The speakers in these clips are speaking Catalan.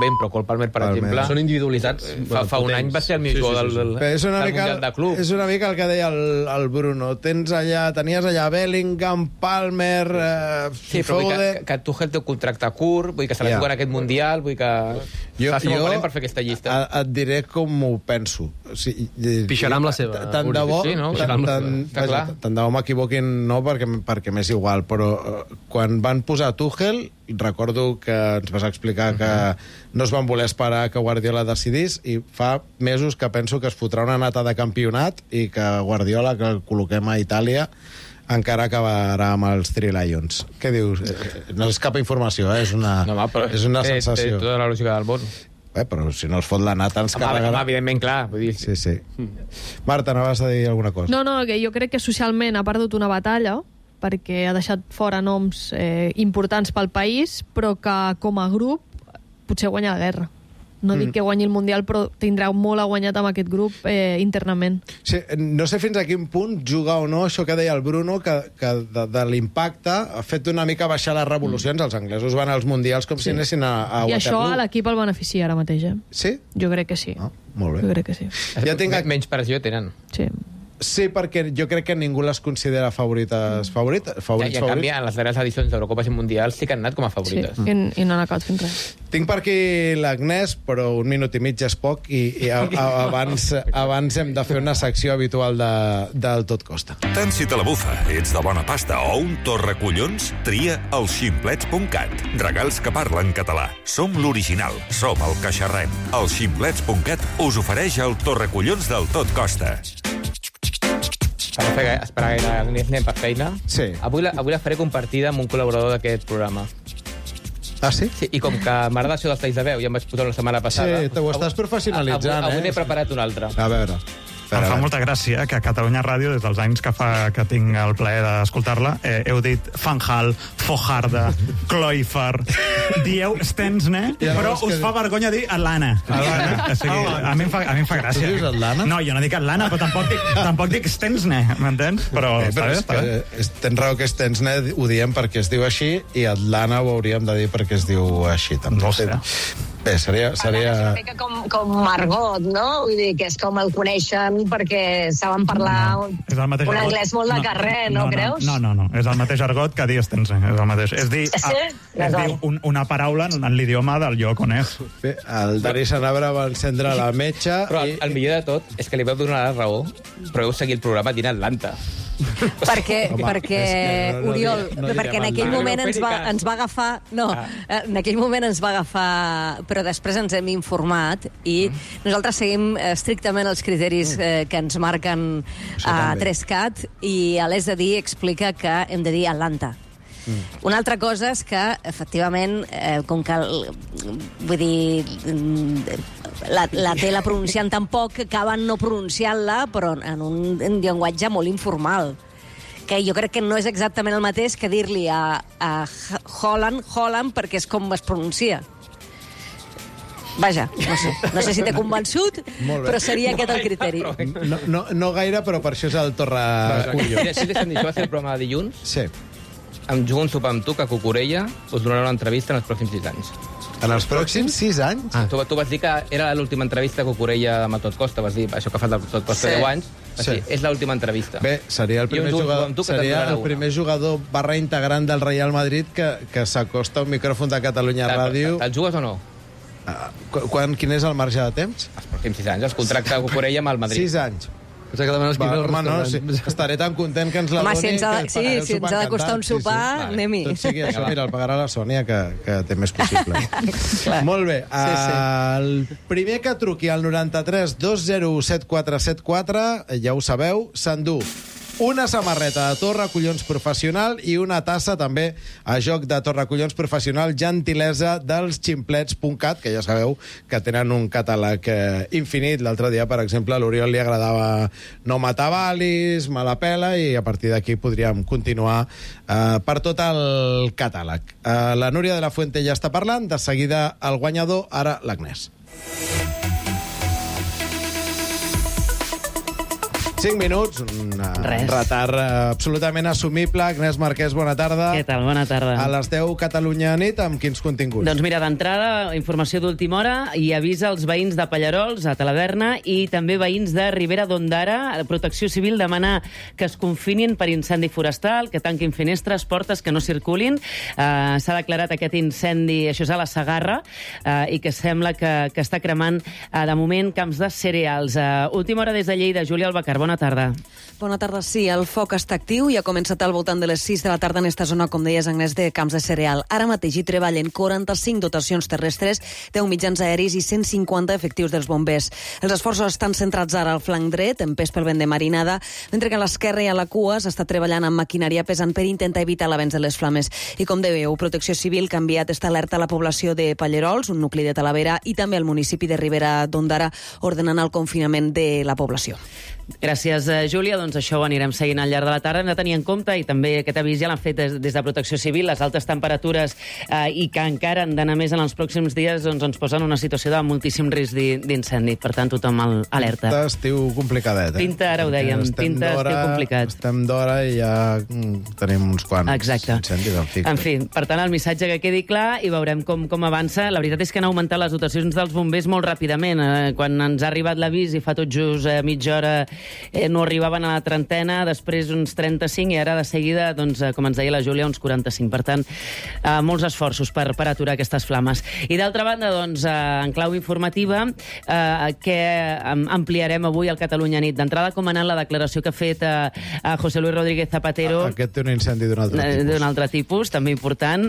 Ben, però Cole Palmer, per exemple... Són individualitats. Fa un any va ser el millor del Mundial de Club. És una mica el que deia el Bruno. Tenies allà Bellingham, Palmer, Foden... Que Tuchel té un contracte curt, vull que se la juga en aquest Mundial, vull que... Faci molt valent per fer aquesta llista. Et diré com ho penso. Pixarà amb la seva. Tant de bo... Tant de bo m'equivoquin, no, perquè m'és igual, però quan van posar Tuchel, recordo que ens vas explicar que no es van voler esperar que Guardiola decidís, i fa mesos que penso que es fotrà una nata de campionat i que Guardiola, que el col·loquem a Itàlia, encara acabarà amb els Three Lions. Què dius? No és cap informació, és una sensació. Té tota la lògica del món. Però si no es fot la nata ens carregarà. Evidentment, clar. Vull dir... Sí. Marta, anaves a dir alguna cosa? No, que jo crec que socialment ha perdut una batalla, perquè ha deixat fora noms importants pel país, però que com a grup potser guanya la guerra. No dic que guanyi el Mundial, però tindrà molt a guanyat amb aquest grup internament. Sí, no sé fins a quin punt juga o no això que deia el Bruno, que de l'impacte ha fet una mica baixar les revolucions. Els anglesos van als Mundials com si anessin a Waterloo. I això a l'equip el beneficia ara mateix, Sí? Jo crec que sí. Molt bé. Jo crec que sí. Menys pressió tenen. Sí, perquè jo crec que ningú les considera favorites. I en canvi, en les darreres edicions d'Eurocopes i Mundials sí que han anat com a favorites. Sí, i no han acabat fent res. Tinc per aquí l'Agnès, però un minut i mig és poc, i abans hem de fer una secció habitual del Tot Costa. Tant si te la bufa, ets de bona pasta o un torracollons, tria el ximplets.cat. Regals que parlen català. Som l'original, som el que xerrem. El ximplets.cat us ofereix el torracollons del Tot Costa. Esperar que anem per feina. Sí. Avui la faré compartida amb un col·laborador d'aquest programa. Ah, sí? Sí, i com que m'agrada això dels talls de veu, ja em vaig posar la setmana passada... Sí, t'ho estàs professionalitzant, Avui n'he preparat un altre. A veure... Em fa molta gràcia que a Catalunya Ràdio, des dels anys que tinc el plaer d'escoltar-la, heu dit Fanjal, Fojarda, Cloifer, dieu Stensne, però us fa vergonya dir Atlana. O sigui, a mi em fa gràcia. Tu dius Atlana? No, jo no dic Atlana, però tampoc dic Stensne, m'entens? Però està bé. Tens raó que Stensne ho diem perquè es diu així, i Atlana ho hauríem de dir perquè es diu així, també. No sé. Bé, seria... És una mica com Margot, no? Vull dir, que és com el coneixen perquè saben parlar un anglès molt de carrer, no creus? No. És el mateix argot que dir Stensne. És el mateix. És dir una paraula en l'idioma del lloc on és. Bé, el Dani Sanabra va encendre la metxa... Però el millor de tot és que li vau donar la raó, però heu seguit el programa dient Atlanta. Perquè Oriol, perquè en aquell moment ens va agafar... No, en aquell moment ens va agafar... Però després ens hem informat i nosaltres seguim estrictament els criteris que ens marquen a 3CAT, i a l'És de Dir explica que hem de dir Atlanta. Una altra cosa és que, efectivament, com que vull dir, la té la pronunciant tan poc que acaben no pronunciant-la, però en un llenguatge molt informal, que jo crec que no és exactament el mateix que dir-li a Holland, perquè és com es pronuncia. Vaja, no sé si t'he convençut, però seria aquest el criteri. No gaire, però per això és el torracollons. Si deixem dir, això va ser el programa de dilluns. Sí. Em jugo un sopar amb tu, que Cucurella us donarà una entrevista en els pròxims 6 anys. En els pròxims 6 anys? Tu vas dir que era l'última entrevista a Cucurella amb el Tot Costa, vas dir això que fa el Tot Costa 10 anys. Sí. És l'última entrevista. Bé, seria el primer jugador barra integrant del Real Madrid que s'acosta a un micròfon de Catalunya Ràdio. Te'l jugues o no? Quin és el marge de temps? Els pròxims 6 anys, el contracte de Cucurella amb el Madrid. 6 anys. Estaré tan content que ens la doni. Si ens ha de costar un sopar, anem-hi. Tot sigui això, mira, el pagarà la Sònia, que té més possible. Molt bé. El primer que truqui al 93 201 7474, ja ho sabeu, s'endú una samarreta de Torracollons Professional i una tassa també a joc de Torracollons Professional, gentilesa dels ximplets.cat, que ja sabeu que tenen un catàleg infinit. L'altre dia, per exemple, a l'Oriol li agradava No matar valis, Me la pela, i a partir d'aquí podríem continuar per tot el catàleg. La Núria de la Fuente ja està parlant, de seguida el guanyador, ara l'Agnès. 5 minuts, un retard absolutament assumible. Agnès Marquès, bona tarda. Què tal? Bona tarda. A les 10, Catalunya nit, amb quins continguts? Doncs mira, d'entrada, informació d'última hora i avisa als veïns de Pallarols, a Talaverna, i també veïns de Ribera d'Ondara. Protecció Civil demana que es confinin per incendi forestal, que tanquin finestres, portes, que no circulin. S'ha declarat aquest incendi, això és a la Segarra, i que sembla que està cremant, de moment, camps de cereals. Última hora des de Lleida, Júlia Albacar, bona tarda. Bona tarda, sí. El foc està actiu i ha començat al voltant de les 6 de la tarda en esta zona, com deies, Agnès, de camps de cereal. Ara mateix hi treballen 45 dotacions terrestres, 10 mitjans aeris i 150 efectius dels bombers. Els esforços estan centrats ara al flanc dret, empès pel vent de marinada, mentre que a l'esquerra i a la cua s'està treballant amb maquinària pesant per intentar evitar l'avenç de les flames. I com dèieu, Protecció Civil que ha enviat esta alerta a la població de Pallarols, un nucli de Talavera, i també al municipi de Ribera d'Ondara, ordenant el confinament de la població. Gràcies, Júlia. Doncs això ho anirem seguint al llarg de la tarda. Hem de tenir en compte, i també aquest avís ja l'han fet des de Protecció Civil, les altes temperatures i que encara han d'anar més en els pròxims dies, doncs ens posen una situació de moltíssim risc d'incendi. Per tant, tothom alerta. Pinta estiu complicadet, Pinta, ara ho dèiem, pinta estiu complicat. Estem d'hora i ja tenim uns quants incendis. En fi, per tant, el missatge que quedi clar i veurem com avança. La veritat és que han augmentat les dotacions dels bombers molt ràpidament. Quan ens ha arribat l'avís i fa tot just mitja hora no arribaven a la trentena, després uns 35 i ara de seguida, doncs, com ens deia la Júlia, uns 45. Per tant, molts esforços per aturar aquestes flames. I d'altra banda, doncs, en clau informativa, que ampliarem avui al Catalunya nit. D'entrada, com ha anat la declaració que ha fet a José Luis Rodríguez Zapatero. Aquest té un incendi d'un altre tipus. D'un altre tipus, també important,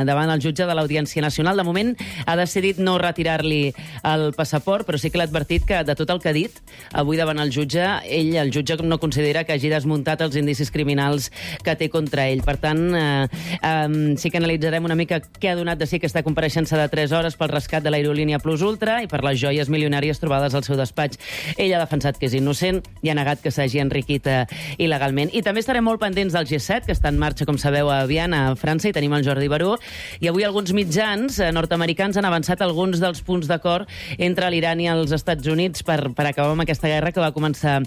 davant el jutge de l'Audiència Nacional. De moment ha decidit no retirar-li el passaport, però sí que l'ha advertit que de tot el que ha dit avui davant el jutge, el jutge no considera que hagi desmuntat els indicis criminals que té contra ell. Per tant, sí que analitzarem una mica què ha donat de si aquesta compareixença de 3 hores pel rescat de l'aerolínia Plus Ultra i per les joies milionàries trobades al seu despatx. Ell ha defensat que és innocent i ha negat que s'hagi enriquit il·legalment. I també estarem molt pendents del G7, que està en marxa, com sabeu, a Viana, a França, i tenim el Jordi Baró. I avui alguns mitjans nord-americans han avançat alguns dels punts d'acord entre l'Iran i els Estats Units per acabar amb aquesta guerra que va començar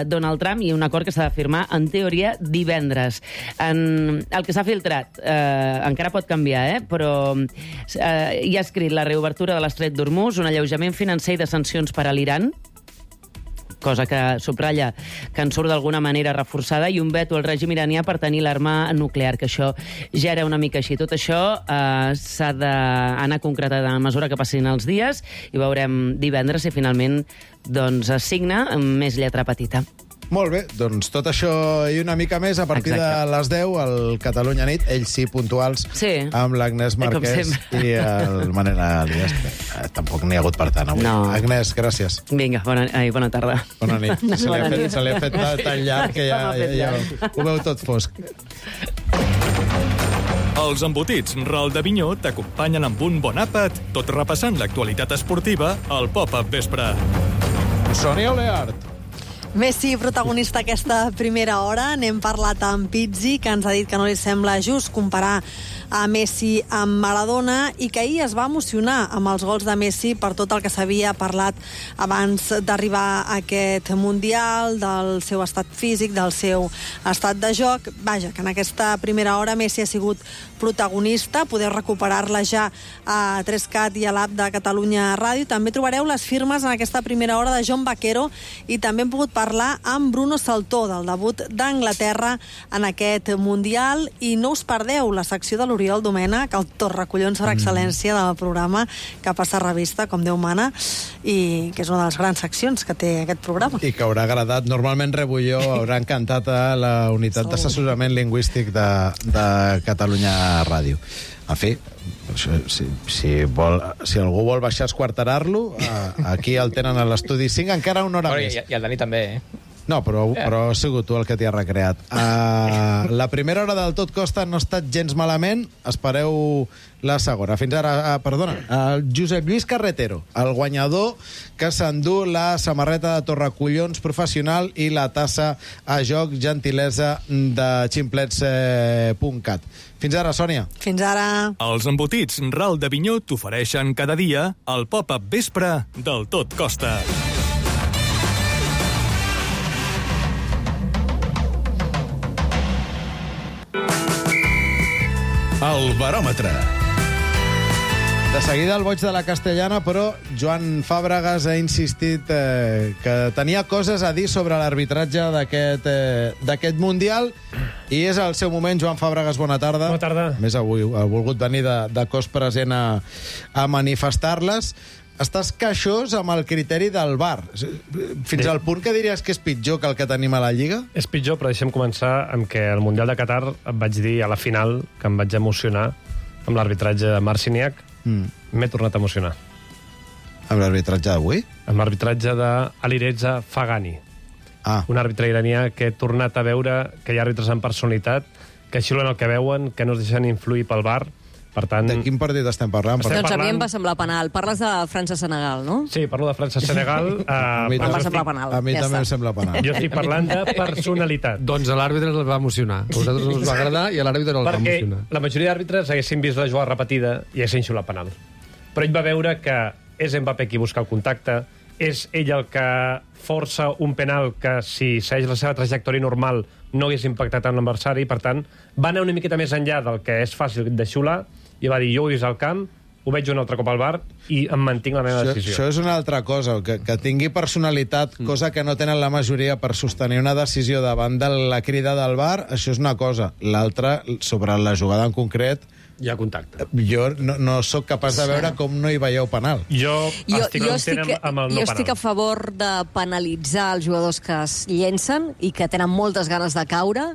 Donald Trump, i un acord que s'ha de firmar, en teoria, divendres. El que s'ha filtrat encara pot canviar, però hi ha escrit la reobertura de l'Estret d'Hormuz, un alleujament financer i de sancions per a l'Iran, cosa que subratlla que en surt d'alguna manera reforçada, i un veto al règim iranià per tenir l'arma nuclear, que això ja era una mica així. Tot això s'ha d'anar concretat a mesura que passin els dies i veurem divendres si finalment doncs, es signa amb més lletra petita. Molt bé, doncs tot això i una mica més a partir de les 10 al Catalunya nit, ells sí puntuals, amb l'Agnès Marquès i el Manel Alias. Tampoc n'hi ha hagut per tant avui. No. Agnès, gràcies. Vinga, bona tarda. Bona nit. Se li ha fet tan llarg que ja ho veu tot fosc. Els embotits Ral de Vinyó t'acompanyen amb un bon àpat, tot repassant l'actualitat esportiva al Pop-Up Vespre. Sònia Oleart. Messi, protagonista aquesta primera hora. N'hem parlat amb Pizzi, que ens ha dit que no li sembla just comparar a Messi amb Maradona i que ahir es va emocionar amb els gols de Messi per tot el que s'havia parlat abans d'arribar a aquest Mundial, del seu estat físic, del seu estat de joc. Vaja, que en aquesta primera hora Messi ha sigut protagonista. Podeu recuperar-la ja a 3CAT i a l'app de Catalunya Ràdio. També trobareu les firmes en aquesta primera hora de John Vaquero i també hem pogut parlar amb Bruno Saltó del debut d'Anglaterra en aquest Mundial. I no us perdeu la secció de l'Oriol Domènech, el torracollons per excel·lència del programa, que passa revista, com Déu mana, i que és una de les grans seccions que té aquest programa. I que haurà agradat, normalment Rebulló haurà encantat a la unitat d'assessorament lingüístic de Catalunya Ràdio. En fi, si algú vol baixar a esquarterar-lo, aquí el tenen a l'estudi 5, encara una hora més. I el Dani també, No, però has sigut tu el que t'hi ha recreat. La primera hora del Tot Costa no ha estat gens malament. Espereu la segona. Fins ara, perdona, el Josep Lluís Carretero, el guanyador que s'endú la samarreta de Torracollons professional i la tassa a joc gentilesa de ximplets.cat. Fins ara, Sònia. Fins ara. Els embotits Ral de Vinyó t'ofereixen cada dia el Pop-Up Vespre del Tot Costa. El baròmetre. De seguida el boig de la Castellana, però Joan Fàbregas ha insistit que tenia coses a dir sobre l'arbitratge d'aquest Mundial i és el seu moment. Joan Fàbregas, bona tarda. Bona tarda. A més, avui ha volgut venir de cos present a manifestar-les. Estàs queixós amb el criteri del VAR. Fins al punt que diries que és pitjor que el que tenim a la Lliga? És pitjor, però deixem començar amb que al Mundial de Qatar et vaig dir a la final que em vaig emocionar amb l'arbitratge de Marciniak. M'he tornat a emocionar. Amb l'arbitratge d'avui? Amb l'arbitratge d'Alireza Fagani. Un àrbitre iranià que he tornat a veure que hi ha àrbitres amb personalitat, que xiulen el que veuen, que no es deixen influir pel VAR. Per tant... De quin partit estem parlant? Doncs a mi em va semblar penal. Parles de França-Senegal, no? Sí, parlo de França-Senegal. Em va semblar penal. A mi també em sembla penal. Jo estic parlant de personalitat. Doncs a l'àrbitre el va emocionar. A vosaltres no us va agradar i a l'àrbitre el va emocionar. Perquè la majoria d'àrbitres haguessin vist la jugada repetida i haguessin xiulat penal. Però ell va veure que és Mbappé qui busca el contacte, és ell el que força un penal que, si segueix la seva trajectòria normal, no hagués impactat en l'adversari, i per tant va anar una miqueta més enllà del que és fàcil de xiular, i va dir, jo ho he vist al camp, ho veig un altre cop al VAR i em mantinc la meva decisió. Això és una altra cosa, que tingui personalitat, cosa que no tenen la majoria per sostenir una decisió davant de la crida del VAR, això és una cosa. L'altra, sobre la jugada en concret, hi ha contacte. Jo no sóc capaç de veure com no hi veieu penal. Jo estic amb el no penal. Jo estic a favor de penalitzar els jugadors que es llencen i que tenen moltes ganes de caure,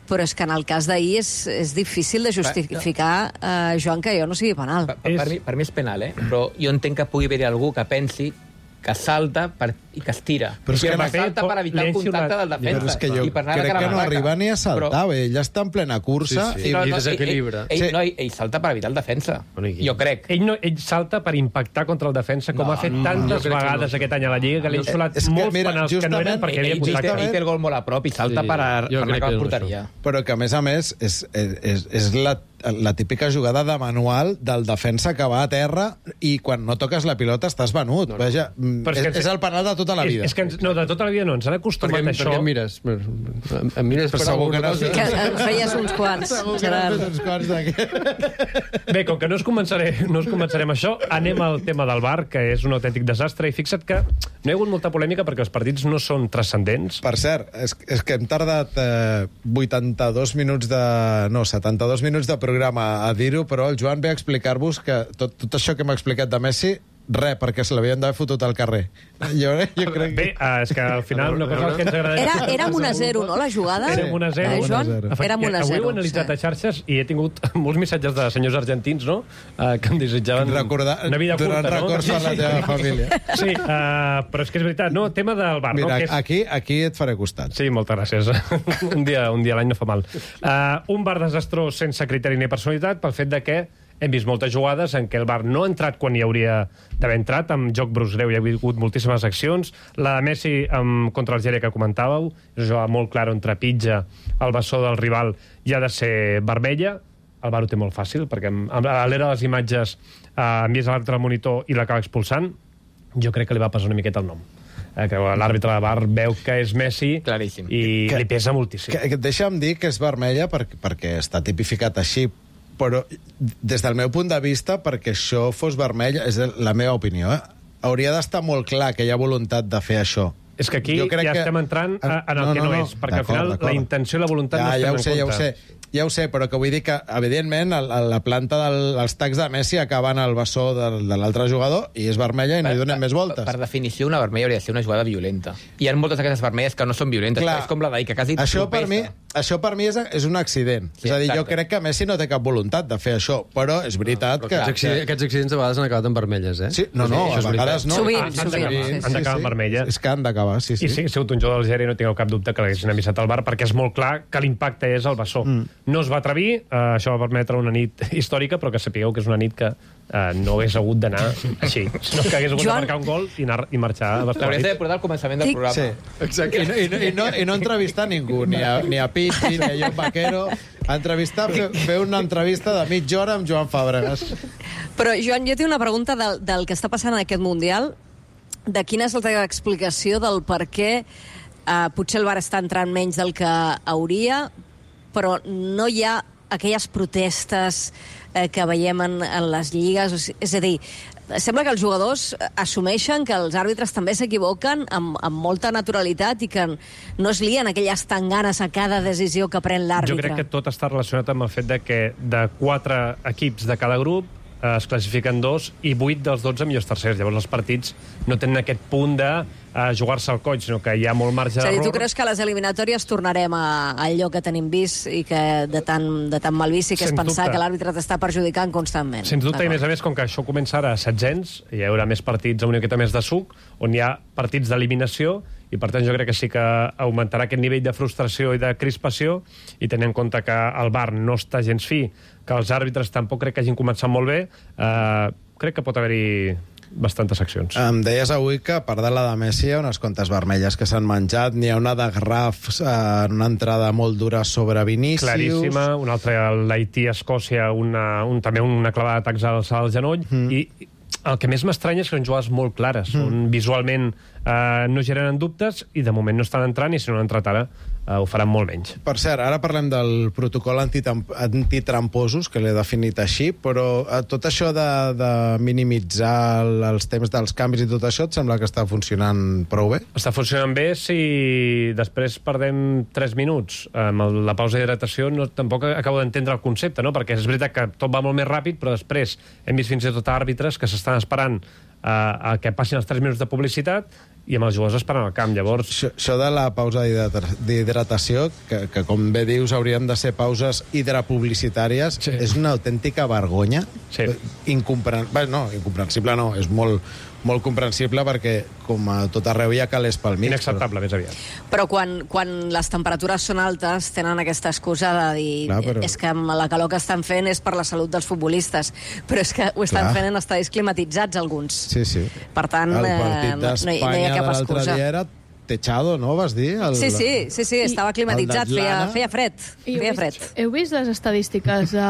però és que en el cas d'ahir és difícil de justificar, Joan, que jo no sigui penal. Per mi és penal, però jo entenc que pugui haver algú que pensi que salta i que es tira. Però és que salta per evitar el contacte del defensa. Però és que jo crec que no arriba ni a saltar. Ell està en plena cursa i desequilibra. Ell salta per evitar el defensa. Jo crec. Ell salta per impactar contra el defensa, com ha fet tantes vegades aquest any a la Lliga, que li han xulat molts penals que no eren perquè havia contacte. Ell té el gol molt a prop i salta per anar cap a porteria. Però que, a més, és la típica jugada de manual del defensa que va a terra i quan no toques la pilota estàs venut. Vaja, és el penal de tota la vida. No, de tota la vida no, ens han acostumat a això. Per què em mires? Em mires per segur que no. Que en feies uns quants. Bé, com que no us començaré amb això, anem al tema del VAR, que és un autèntic desastre, i fixa't que no hi ha hagut molta polèmica perquè els partits no són transcendents. Per cert, és que hem tardat 72 minuts de programa a dir-ho, però el Joan ve a explicar-vos que tot això que m'ha explicat de Messi, perquè se l'havien d'haver fotut al carrer. Jo crec que... Bé, és que al final una cosa que ens agradaria... Era amb 1-0, no, la jugada? Era amb 1-0. Joan? Era amb 1-0. Avui ho he analitzat a xarxes i he tingut molts missatges de senyors argentins, no?, que em desitjaven una vida curta, no? Records per la teva família. Sí, però és que és veritat, no? Tema del VAR, no? Mira, aquí et faré costat. Sí, moltes gràcies. Un dia a l'any no fa mal. Un VAR desastrós sense criteri ni personalitat pel fet de que hem vist moltes jugades en què el VAR no ha entrat quan hi hauria d'haver entrat, amb joc brus greu hi ha hagut moltíssimes accions. La de Messi contra l'Algèria que comentàveu, és una jugada molt clara on trepitja el bessó del rival i ha de ser vermella. El VAR ho té molt fàcil, perquè a l'era de les imatges envies a l'altre monitor i l'acaba expulsant. Jo crec que li va passar una miqueta el nom. Que l'àrbitre de VAR veu que és Messi i li pesa moltíssim. Deixa'm dir que és vermella perquè està tipificat així, però des del meu punt de vista, perquè això fos vermell, és la meva opinió, hauria d'estar molt clar que hi ha voluntat de fer això. És que aquí estem entrant en el que no és, perquè al final la intenció i la voluntat no estem en compte. Ja ho sé, però que vull dir que, evidentment, la planta dels tacs de Messi acaben al bessó de l'altre jugador i és vermella i no hi donem més voltes. Per definició, una vermella hauria de ser una jugada violenta. Hi ha moltes d'aquestes vermelles que no són violentes. Clar, és com la d'ahir, que quasi això per mi és un accident. Sí, és a dir, jo crec que Messi no té cap voluntat de fer això, però és veritat que... Aquests accidents a vegades han acabat en vermelles, eh? Sí, a vegades no. Sovint. Han d'acabar en vermelles. És que han d'acabar, sí. I si ha sigut un jugador d'Algèria, no tingueu cap dubte que l'haguessin avisat al VAR, perquè és molt clar que l'impacte és el bessó. No es va atrevir, això va permetre una nit històrica, però que sapigueu que és una nit que no hagués hagut d'anar així, sinó que hagués hagut de marcar un gol i marxar a vestuari. L'hauries de portar al començament del programa. Sí, exacte. I no entrevistar ningú, ni a Pichi, ni a John Vaquero. Fer una entrevista de mitja hora amb Joan Fàbregas. Però, Joan, jo tinc una pregunta del que està passant en aquest Mundial. De quina és la teva explicació del per què potser el VAR està entrant menys del que hauria, però no hi ha aquelles protestes que veiem en les lligues. És a dir, sembla que els jugadors assumeixen que els àrbitres també s'equivoquen amb molta naturalitat i que no es lien aquelles tanganes a cada decisió que pren l'àrbitre. Jo crec que tot està relacionat amb el fet de que de 4 equips de cada grup es classifiquen 2 i 8 dels 12 millors tercers. Llavors els partits no tenen aquest punt de jugar-se al coll, sinó que hi ha molt marge d'error. És a dir, tu creus que a les eliminatòries tornarem a allò que tenim vist i que de tan mal vist i que és pensar que l'àrbitre t'està perjudicant constantment? Sens dubte, i a més, com que això comença ara a setzents, hi haurà més partits amb una miqueta més de suc, on hi ha partits d'eliminació, i per tant jo crec que sí que augmentarà aquest nivell de frustració i de crispació, i tenint en compte que el VAR no està gens fi, que els àrbitres tampoc crec que hagin començat molt bé, crec que pot haver-hi bastantes accions. Em deies avui que, a part de la de Messi, hi ha unes quantes vermelles que s'han menjat. N'hi ha una de Graf en una entrada molt dura sobre Vinícius. Claríssima. Una altra, l'Haití-Escòcia, també una clavada d'atacs al genoll. I el que més m'estranya és que són jugades molt clares, on visualment no generen dubtes i de moment no estan entrant, i si no han entrat ara ho faran molt menys. Per cert, ara parlem del protocol antitramposos, que l'he definit així, però tot això de minimitzar els temps dels canvis i tot això, et sembla que està funcionant prou bé? Està funcionant bé si després perdem 3 minuts amb la pausa d'hidratació. Tampoc acabo d'entendre el concepte, no? Perquè és veritat que tot va molt més ràpid, però després hem vist fins i tot àrbitres que s'estan esperant a que passin els 3 minuts de publicitat i amb els jugadors esperant al camp. Llavors... Això de la pausa d'hidratació, que com bé dius haurien de ser pauses hidrapublicitàries, és una autèntica vergonya. Incomprensible no, és molt comprensible, perquè com a tot arreu hi ha calés pel mig. Inacceptable, més aviat. Però quan les temperatures són altes tenen aquesta excusa de dir és que la calor que estan fent és per la salut dels futbolistes, però és que ho estan fent en estadis climatitzats alguns. Sí. Per tant, el partit d'Espanya de l'altre dia era techado, no? Vas dir? Sí, estava climatitzat, feia fred. Heu vist les estadístiques de...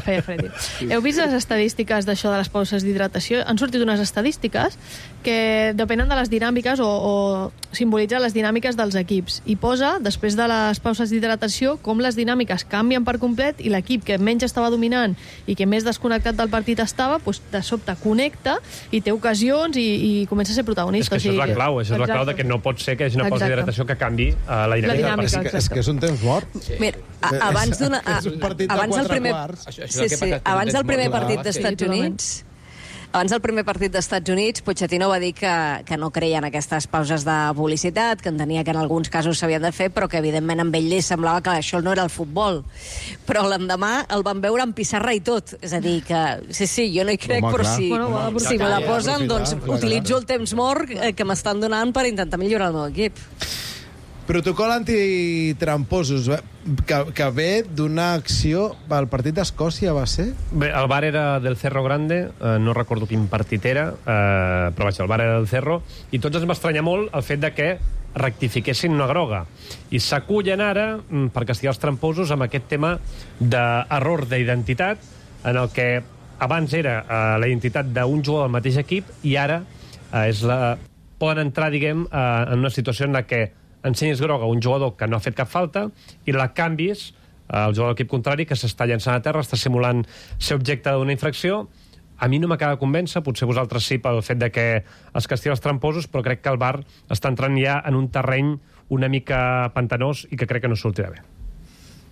feia fred. Heu vist les estadístiques d'això de les pauses d'hidratació? Han sortit unes estadístiques que depenen de les dinàmiques o simbolitzen les dinàmiques dels equips. I posa, després de les pauses d'hidratació, com les dinàmiques canvien per complet i l'equip que menys estava dominant i que més desconnectat del partit estava, de sobte connecta i té ocasions i comença a ser protagonista. És que això és la clau, això és la clau de que no pot ser que hi hagi una pausa d'hidratació que canvi la dinàmica. És que és un temps mort. Mira, abans del primer partit d'Estats Units, Pochettino va dir que no creia en aquestes pauses de publicitat, que entenia que en alguns casos s'havien de fer, però que evidentment amb ell li semblava que això no era el futbol. Però l'endemà el van veure amb pissarra i tot. És a dir, que sí, jo no hi crec, però si me la posen, doncs utilitzo el temps mort que m'estan donant per intentar millorar el meu equip. Protocol antitramposos, que ve d'una acció... El partit d'Escòcia va ser? Bé, el bar era del Cerro Grande, no recordo quin partit era, però vaja, el bar era del Cerro, i tots ens va estranyar molt el fet de que rectifiquessin una groga. I s'acullen ara, per castigar els tramposos, amb aquest tema d'error d'identitat, en el que abans era la identitat d'un jugador del mateix equip i ara poden entrar, diguem, en una situació en la que ensenyis groga a un jugador que no ha fet cap falta i la canvis al jugador de l'equip contrari, que s'està llançant a terra, està simulant ser objecte d'una infracció. A mi no m'acaba de convèncer, potser vosaltres sí, pel fet de que es castiguen els tramposos, però crec que el VAR està entrant ja en un terreny una mica pantanós i que crec que no sortirà bé.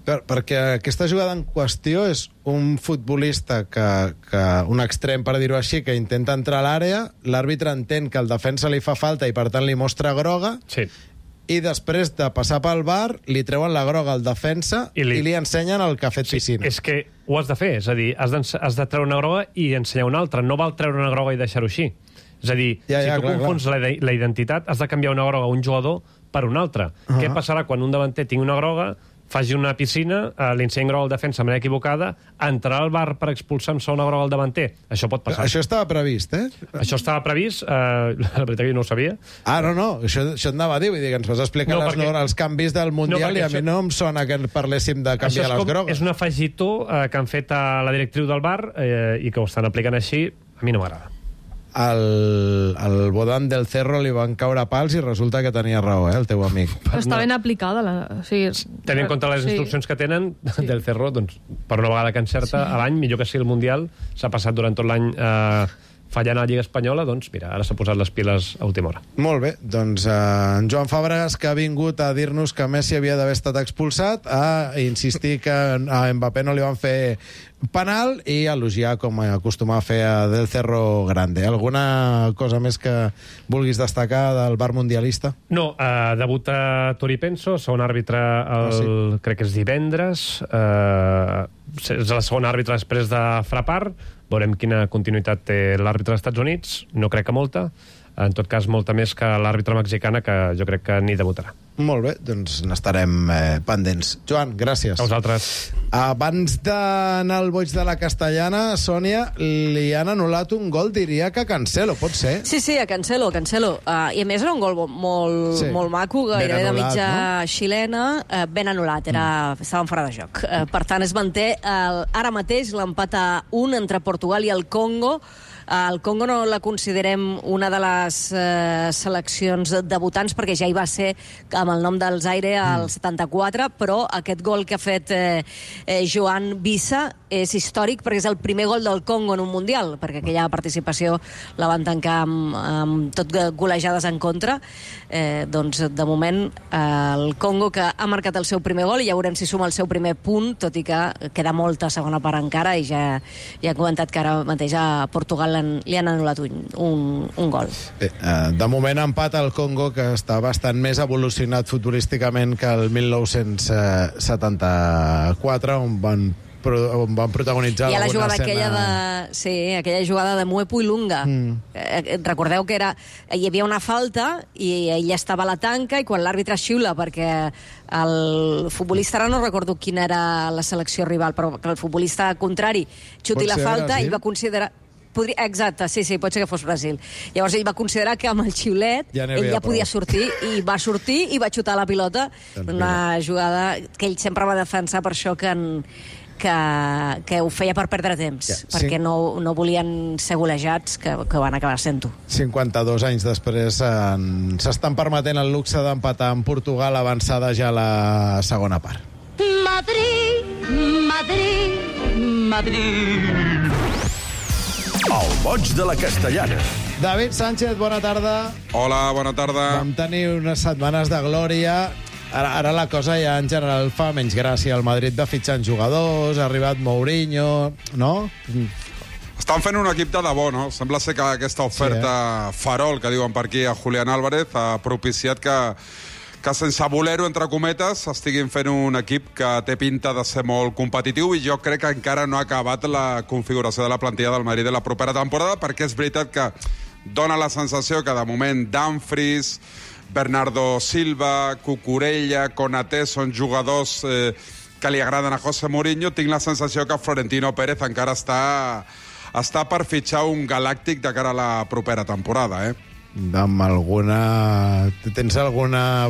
Perquè aquesta jugada en qüestió és un futbolista un extrem, per dir-ho així, que intenta entrar a l'àrea, l'àrbitre entén que el defensa li fa falta i per tant li mostra groga, i després de passar pel VAR li treuen la groga al defensa i li ensenyen el que ha fet piscina. És que ho has de fer, és a dir, has de treure una groga i ensenyar una altra, no val treure una groga i deixar-ho així. És a dir, si tu confons la identitat, has de canviar una groga a un jugador per una altra. Què passarà quan un davanter tingui una groga, faci una piscina, li ensenyi groga al defensa de manera equivocada, entrarà al VAR per expulsar amb una groga al davanter? Això pot passar. Això estava previst, Això estava previst, la veritat que jo no ho sabia. No, això et anava a dir, vull dir que ens vas explicar els canvis del Mundial i a mi no em sona que parléssim de canviar les grogues. És un afegitó que han fet a la directriu del VAR i que ho estan aplicant així, a mi no m'agrada. al Bodan del Cerro li van caure pals i resulta que tenia raó, el teu amic. Però està ben aplicada. Tenint en compte les instruccions que tenen del Cerro, doncs, per una vegada que encerta a l'any, millor que sigui el Mundial, s'ha passat durant tot l'any fallant a la Lliga Espanyola, doncs mira, ara s'ha posat les piles a última hora. Molt bé, doncs en Joan Fàbregas, que ha vingut a dir-nos que Messi havia d'haver estat expulsat, a insistir que a Mbappé no li van fer penal i elogiar, com acostuma a fer a Del Cerro Grande. Alguna cosa més que vulguis destacar del bar mundialista? No, debuta Tori Penso, segon àrbitre crec que és divendres, és el segon àrbitre després de Frappart. Veurem quina continuïtat té l'àrbitre dels Estats Units, no crec que molta, en tot cas molta més que l'àrbitre mexicana, que jo crec que ni debutarà. Molt bé, doncs n'estarem pendents. Joan, gràcies. A vosaltres. Abans d'anar al boig de la Castellana, Sònia, li han anul·lat un gol, diria que a Cancelo, pot ser? Sí, a Cancelo. I a més era un gol molt maco, gairebé de mitja xilena, ben anul·lat, estaven fora de joc. Per tant, es manté ara mateix l'empat a 1 entre Portugal i el Congo. El Congo no la considerem una de les seleccions debutants, perquè ja hi va ser amb el nom del Zaire al 74, però aquest gol que ha fet Joan Vissa és històric perquè és el primer gol del Congo en un Mundial, perquè aquella participació la van tancar amb tot golejades en contra. Doncs de moment el Congo, que ha marcat el seu primer gol, i ja veurem si suma el seu primer punt, tot i que queda molta segona part encara, i ja he comentat que ara mateix a Portugal li han anul·lat un gol. Bé, de moment empat al Congo, que està bastant més evolucionat futbolísticament que el 1974, on van protagonitzar la alguna jugada escena... aquella jugada de Muepo i Lunga. Recordeu que hi havia una falta i ell estava a la tanca, i quan l'àrbitre xiula perquè el futbolista, ara no recordo quina era la selecció rival, però que el futbolista contrari xuti la falta, ell va considerar... Exacte, sí, pot ser que fos Brasil. Llavors ell va considerar que amb el xiulet ell ja podia sortir, i va sortir i va xutar la pilota. Una jugada que ell sempre va defensar per això, que ho feia per perdre temps, perquè no volien ser golejats, que van acabar sent-ho. 52 anys després s'estan permetent el luxe d'empatar amb Portugal, avançada ja a la segona part. Madrid, Madrid, Madrid. El boig de la Castellana. David Sánchez, bona tarda. Hola, bona tarda. Vam tenir unes setmanes de glòria. Ara la cosa ja en general fa menys gràcia. El Madrid va fitxant jugadors, ha arribat Mourinho, no? Estan fent un equip de debò, no? Sembla ser que aquesta oferta farol, que diuen per aquí, a Julián Álvarez, ha propiciat que sense voler-ho, entre cometes, estiguin fent un equip que té pinta de ser molt competitiu, i jo crec que encara no ha acabat la configuració de la plantilla del Madrid de la propera temporada, perquè és veritat que dona la sensació que de moment Dumfries, Bernardo Silva, Cucurella, Konaté són jugadors que li agraden a José Mourinho. Tinc la sensació que Florentino Pérez encara està per fitxar un galàctic de cara a la propera temporada, Amb alguna... Tens alguna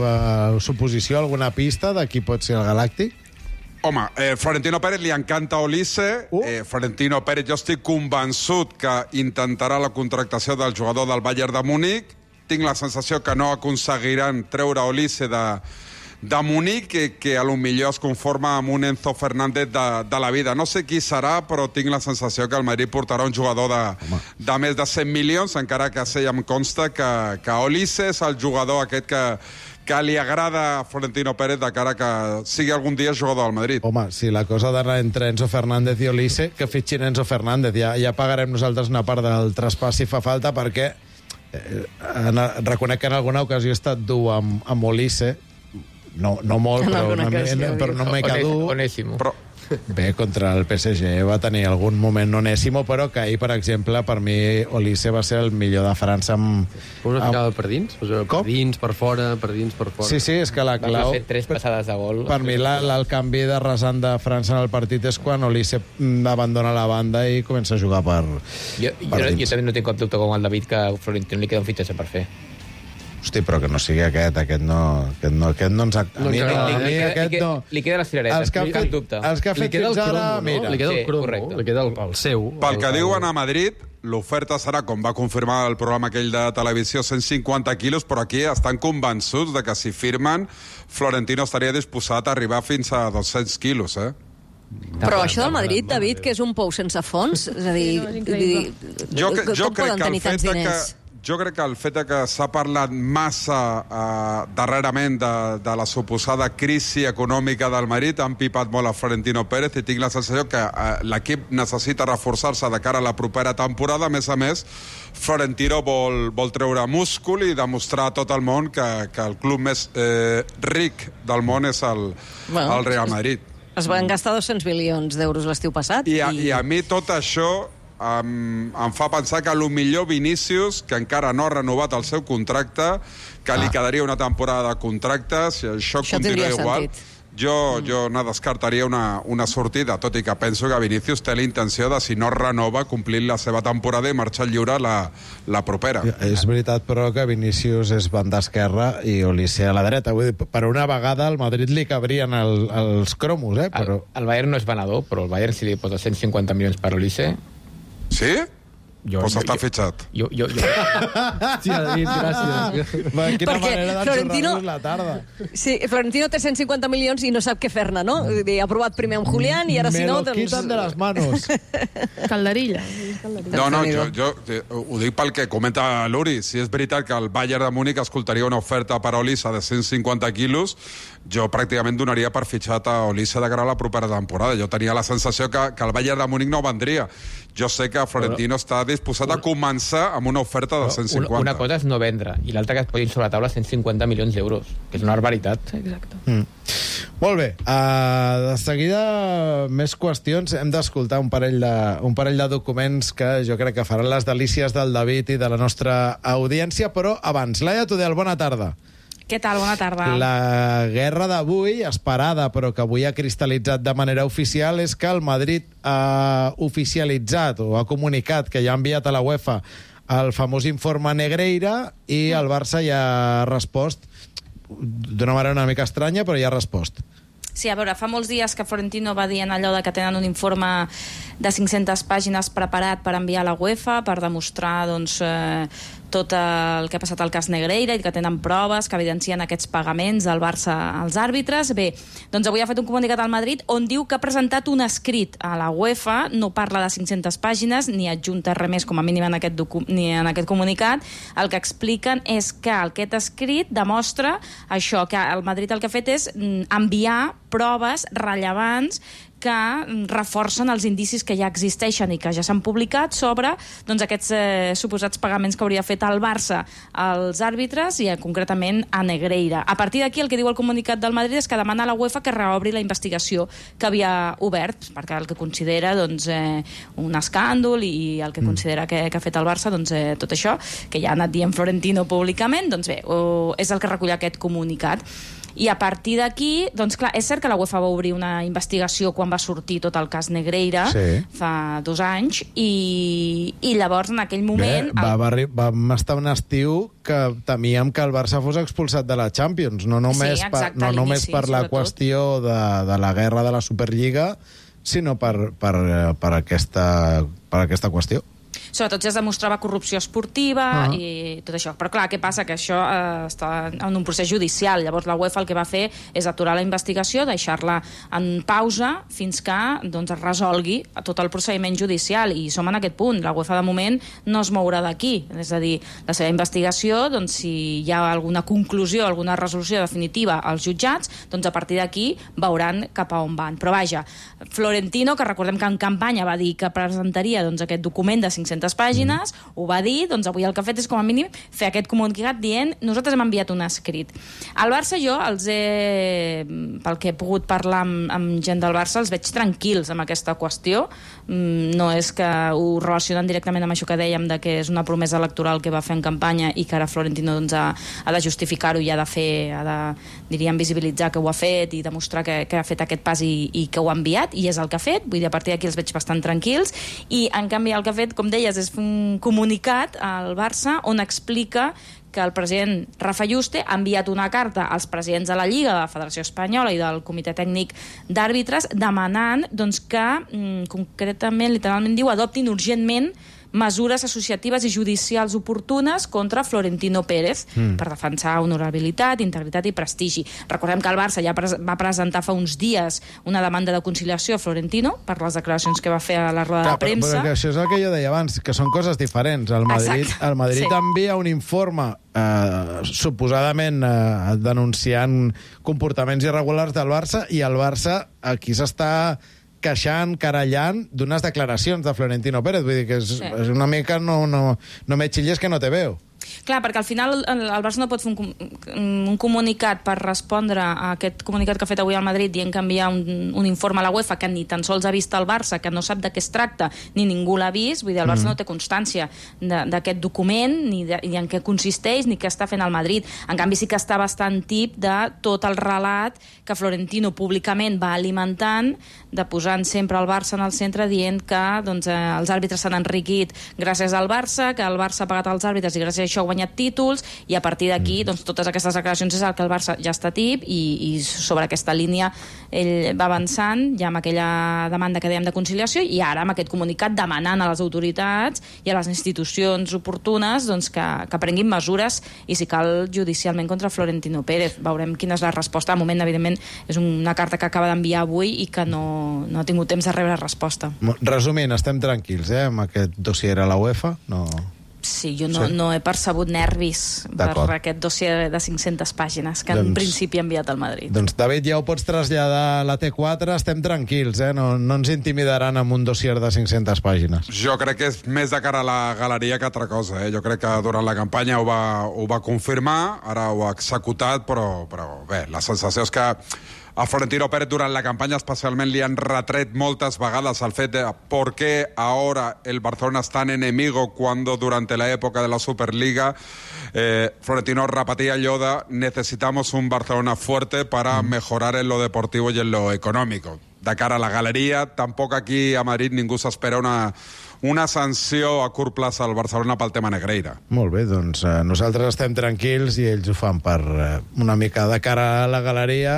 suposició, alguna pista de qui pot ser el galàctic? Home, Florentino Pérez li encanta Olise. Florentino Pérez, jo estic convençut que intentarà la contractació del jugador del Bayern de Múnich. Tinc la sensació que no aconseguiran treure Olise de Múnich, que a lo millor es conforma amb un Enzo Fernández de la vida. No sé qui serà, però tinc la sensació que el Madrid portarà un jugador de més de 100 milions, encara que ja em consta que Olise és el jugador aquest que li agrada a Florentino Pérez de cara que sigui algun dia jugador del Madrid. Home, si la cosa ha d'anar entre Enzo Fernández i Olise, que fitxin Enzo Fernández. Ja pagarem nosaltres una part del traspàs si fa falta, perquè reconec que en alguna ocasió he estat dur amb Olise. No molt, però no m'he caduc. Onésimo. Bé, contra el PSG va tenir algun moment Onésimo, però que ahir, per exemple, per mi Olise va ser el millor de França Una ficada per dins? Per dins, per fora, per dins, per fora. Sí, és que la clau... Va fer 3 passades de gol. Per mi el canvi de rasant de França en el partit és quan Olise abandona la banda i comença a jugar per Jo també no tinc cap dubte com el David que a Florentino li queda un fitxatge per fer. Hosti, però que no sigui aquest no ens... Li queda les cireretes, cap dubte. Els que ha fet fins ara, mira. Li queda el cromo, li queda el seu. Pel que diuen a Madrid, l'oferta serà, com va confirmar el programa aquell de televisió, 150 quilos, però aquí estan convençuts de que si firmen, Florentino estaria disposat a arribar fins a 200 quilos, Però això del Madrid, David, que és un pou sense fons, és a dir, com poden tenir tants diners? Jo crec que el fet que s'ha parlat massa darrerament de la suposada crisi econòmica del Madrid ha empipat molt a Florentino Pérez i tinc la sensació que l'equip necessita reforçar-se de cara a la propera temporada. A més, Florentino vol treure múscul i demostrar a tot el món que el club més ric del món és el Real Madrid. Es van gastar 200 milions d'euros l'estiu passat. I a mi tot això em fa pensar que millor Vinícius, que encara no ha renovat el seu contracte, que li quedaria una temporada de contracte, si això continua igual, jo no descartaria una sortida, tot i que penso que Vinícius té la intenció de, si no renova, complir la seva temporada i marxar lliure la propera. És veritat, però, que Vinícius és banda esquerra i Olise a la dreta. Vull dir, per una vegada al Madrid li cabrien els cromos, però... El Bayern no és venedor, però el Bayern, si li posa 150 milions per Olise... Sí? Pues està fitxat. Jo. Sí, David, gràcies. Quina manera d'enxorrar-nos la tarda. Sí, Florentino té 150 milions i no sap què fer-ne, no? Ha provat primer amb Julián i ara si no... Me lo quitan de las manos. Calderilla. No, jo ho dic pel que comenta l'Uri. Si és veritat que el Bayern de Múnich escoltaria una oferta per a Olise de 150 quilos, jo pràcticament donaria per fitxat a Olise de cara a la propera temporada. Jo tenia la sensació que el Bayern de Múnich no vendria. Jo sé que Florentino està disposat a començar amb una oferta de 150. Una cosa és no vendre, i l'altra que es posin sobre la taula 150 milions d'euros, que és una barbaritat. Exacte. Molt bé. De seguida, més qüestions. Hem d'escoltar un parell de documents que jo crec que faran les delícies del David i de la nostra audiència, però abans, Laia Tudel, bona tarda. Què tal? Bona tarda. La guerra d'avui, esperada, però que avui ha cristal·litzat de manera oficial, és que el Madrid ha oficialitzat o ha comunicat que ja ha enviat a la UEFA el famós informe Negreira i el Barça ja ha respost d'una manera una mica estranya, però ja ha respost. Sí, a veure, fa molts dies que Florentino va dir en allò de que tenen un informe de 500 pàgines preparat per enviar a la UEFA per demostrar, doncs, tot el que ha passat al cas Negreira i que tenen proves que evidencien aquests pagaments del Barça als àrbitres. Bé, doncs avui ha fet un comunicat al Madrid on diu que ha presentat un escrit a la UEFA, no parla de 500 pàgines ni adjunta res més com a mínim en aquest comunicat. El que expliquen és que aquest escrit demostra això, que el Madrid el que ha fet és enviar proves rellevants que reforcen els indicis que ja existeixen i que ja s'han publicat sobre, doncs, aquests suposats pagaments que hauria fet el Barça als àrbitres i concretament a Negreira. A partir d'aquí el que diu el comunicat del Madrid és que demana a la UEFA que reobri la investigació que havia obert, perquè el que considera, doncs, un escàndol i el que considera que ha fet el Barça, doncs, tot això, que ja ha anat dient Florentino públicament, doncs bé, és el que recull aquest comunicat. I a partir d'aquí, doncs clar, és cert que la UEFA va obrir una investigació quan va sortir tot el cas Negreira, fa 2 anys, i llavors en aquell moment... Vam estar un estiu que temíem que el Barça fos expulsat de la Champions, no només per la qüestió de la guerra de la Superliga, sinó per aquesta qüestió. Sobretot ja es demostrava corrupció esportiva i tot això. Però clar, què passa? Que això està en un procés judicial. Llavors la UEFA el que va fer és aturar la investigació, deixar-la en pausa fins que, doncs, es resolgui tot el procediment judicial. I som en aquest punt. La UEFA de moment no es mourà d'aquí. És a dir, la seva investigació, doncs, si hi ha alguna conclusió, alguna resolució definitiva als jutjats, doncs a partir d'aquí veuran cap a on van. Però vaja, Florentino, que recordem que en campanya va dir que presentaria, doncs, aquest document de 500 pàgines, ho va dir, doncs avui el que ha fet és com a mínim fer aquest comunicat dient nosaltres hem enviat un escrit. Al Barça jo pel que he pogut parlar amb gent del Barça, els veig tranquils amb aquesta qüestió. No és que ho relacionen directament amb això que dèiem de que és una promesa electoral que va fer en campanya i que ara Florentino, doncs, ha de justificar-ho i ha de, diríem, visibilitzar que ho ha fet i demostrar que ha fet aquest pas i que ho ha enviat, i és el que ha fet. Vull dir, a partir d'aquí els veig bastant tranquils, i en canvi el que ha fet, com deies, dies és un comunicat al Barça on explica que el president Rafa Yuste ha enviat una carta als presidents de la Lliga, de la Federació Espanyola i del Comitè Tècnic d'Àrbitres demanant que, concretament, literalment diu, adoptin urgentment mesures associatives i judicials oportunes contra Florentino Pérez per defensar honorabilitat, integritat i prestigi. Recordem que el Barça ja va presentar fa uns dies una demanda de conciliació a Florentino per les declaracions que va fer a la roda de premsa. Però això és el que jo deia abans, que són coses diferents. El Madrid envia un informe suposadament denunciant comportaments irregulars del Barça i el Barça aquí s'està queixant, querellant d'unes declaracions de Florentino Pérez. Vull dir que és una mica no me xilles que no te veo. Clar, perquè al final el Barça no pot fer un comunicat per respondre a aquest comunicat que ha fet avui al Madrid dient que envia un informe a la UEFA que ni tan sols ha vist el Barça, que no sap de què es tracta, ni ningú l'ha vist. Vull dir, el Barça no té constància d'aquest document, ni en què consisteix, ni què està fent el Madrid. En canvi, sí que està bastant tip de tot el relat que Florentino públicament va alimentant, de posant sempre el Barça en el centre, dient que els àrbitres s'han enriquit gràcies al Barça, que el Barça ha pagat els àrbitres i gràcies a això ha guanyat títols, i a partir d'aquí totes aquestes declaracions és el que el Barça ja està tip, i sobre aquesta línia ell va avançant ja amb aquella demanda que dèiem de conciliació, i ara amb aquest comunicat demanant a les autoritats i a les institucions oportunes que prenguin mesures, i si cal judicialment contra Florentino Pérez. Veurem quina és la resposta. De moment, evidentment, és una carta que acaba d'enviar avui i que no ha tingut temps de rebre resposta. Resumint, estem tranquils, amb aquest dossier a la UEFA? No... Sí, jo no he percebut nervis per aquest dossier de 500 pàgines que en principi ha enviat al Madrid. Doncs, David, ja ho pots traslladar a la T4, estem tranquils, no ens intimidaran amb un dossier de 500 pàgines. Jo crec que és més de cara a la galeria que altra cosa. Jo crec que durant la campanya ho va confirmar, ara ho ha executat, però bé, la sensació és que a Florentino Pérez durant la campanya especialment li han retret moltes vegades el fet de ¿por qué ahora el Barcelona es tan enemigo cuando durante la época de la Superliga Florentino repetía allò de necesitamos un Barcelona fuerte para mejorar en lo deportivo y en lo económico? De cara a la galeria, tampoc aquí a Madrid ningú s'espera una sanció a curt plaç al Barcelona pel tema Negreira. Molt bé, doncs nosaltres estem tranquils i ells ho fan per una mica de cara a la galeria,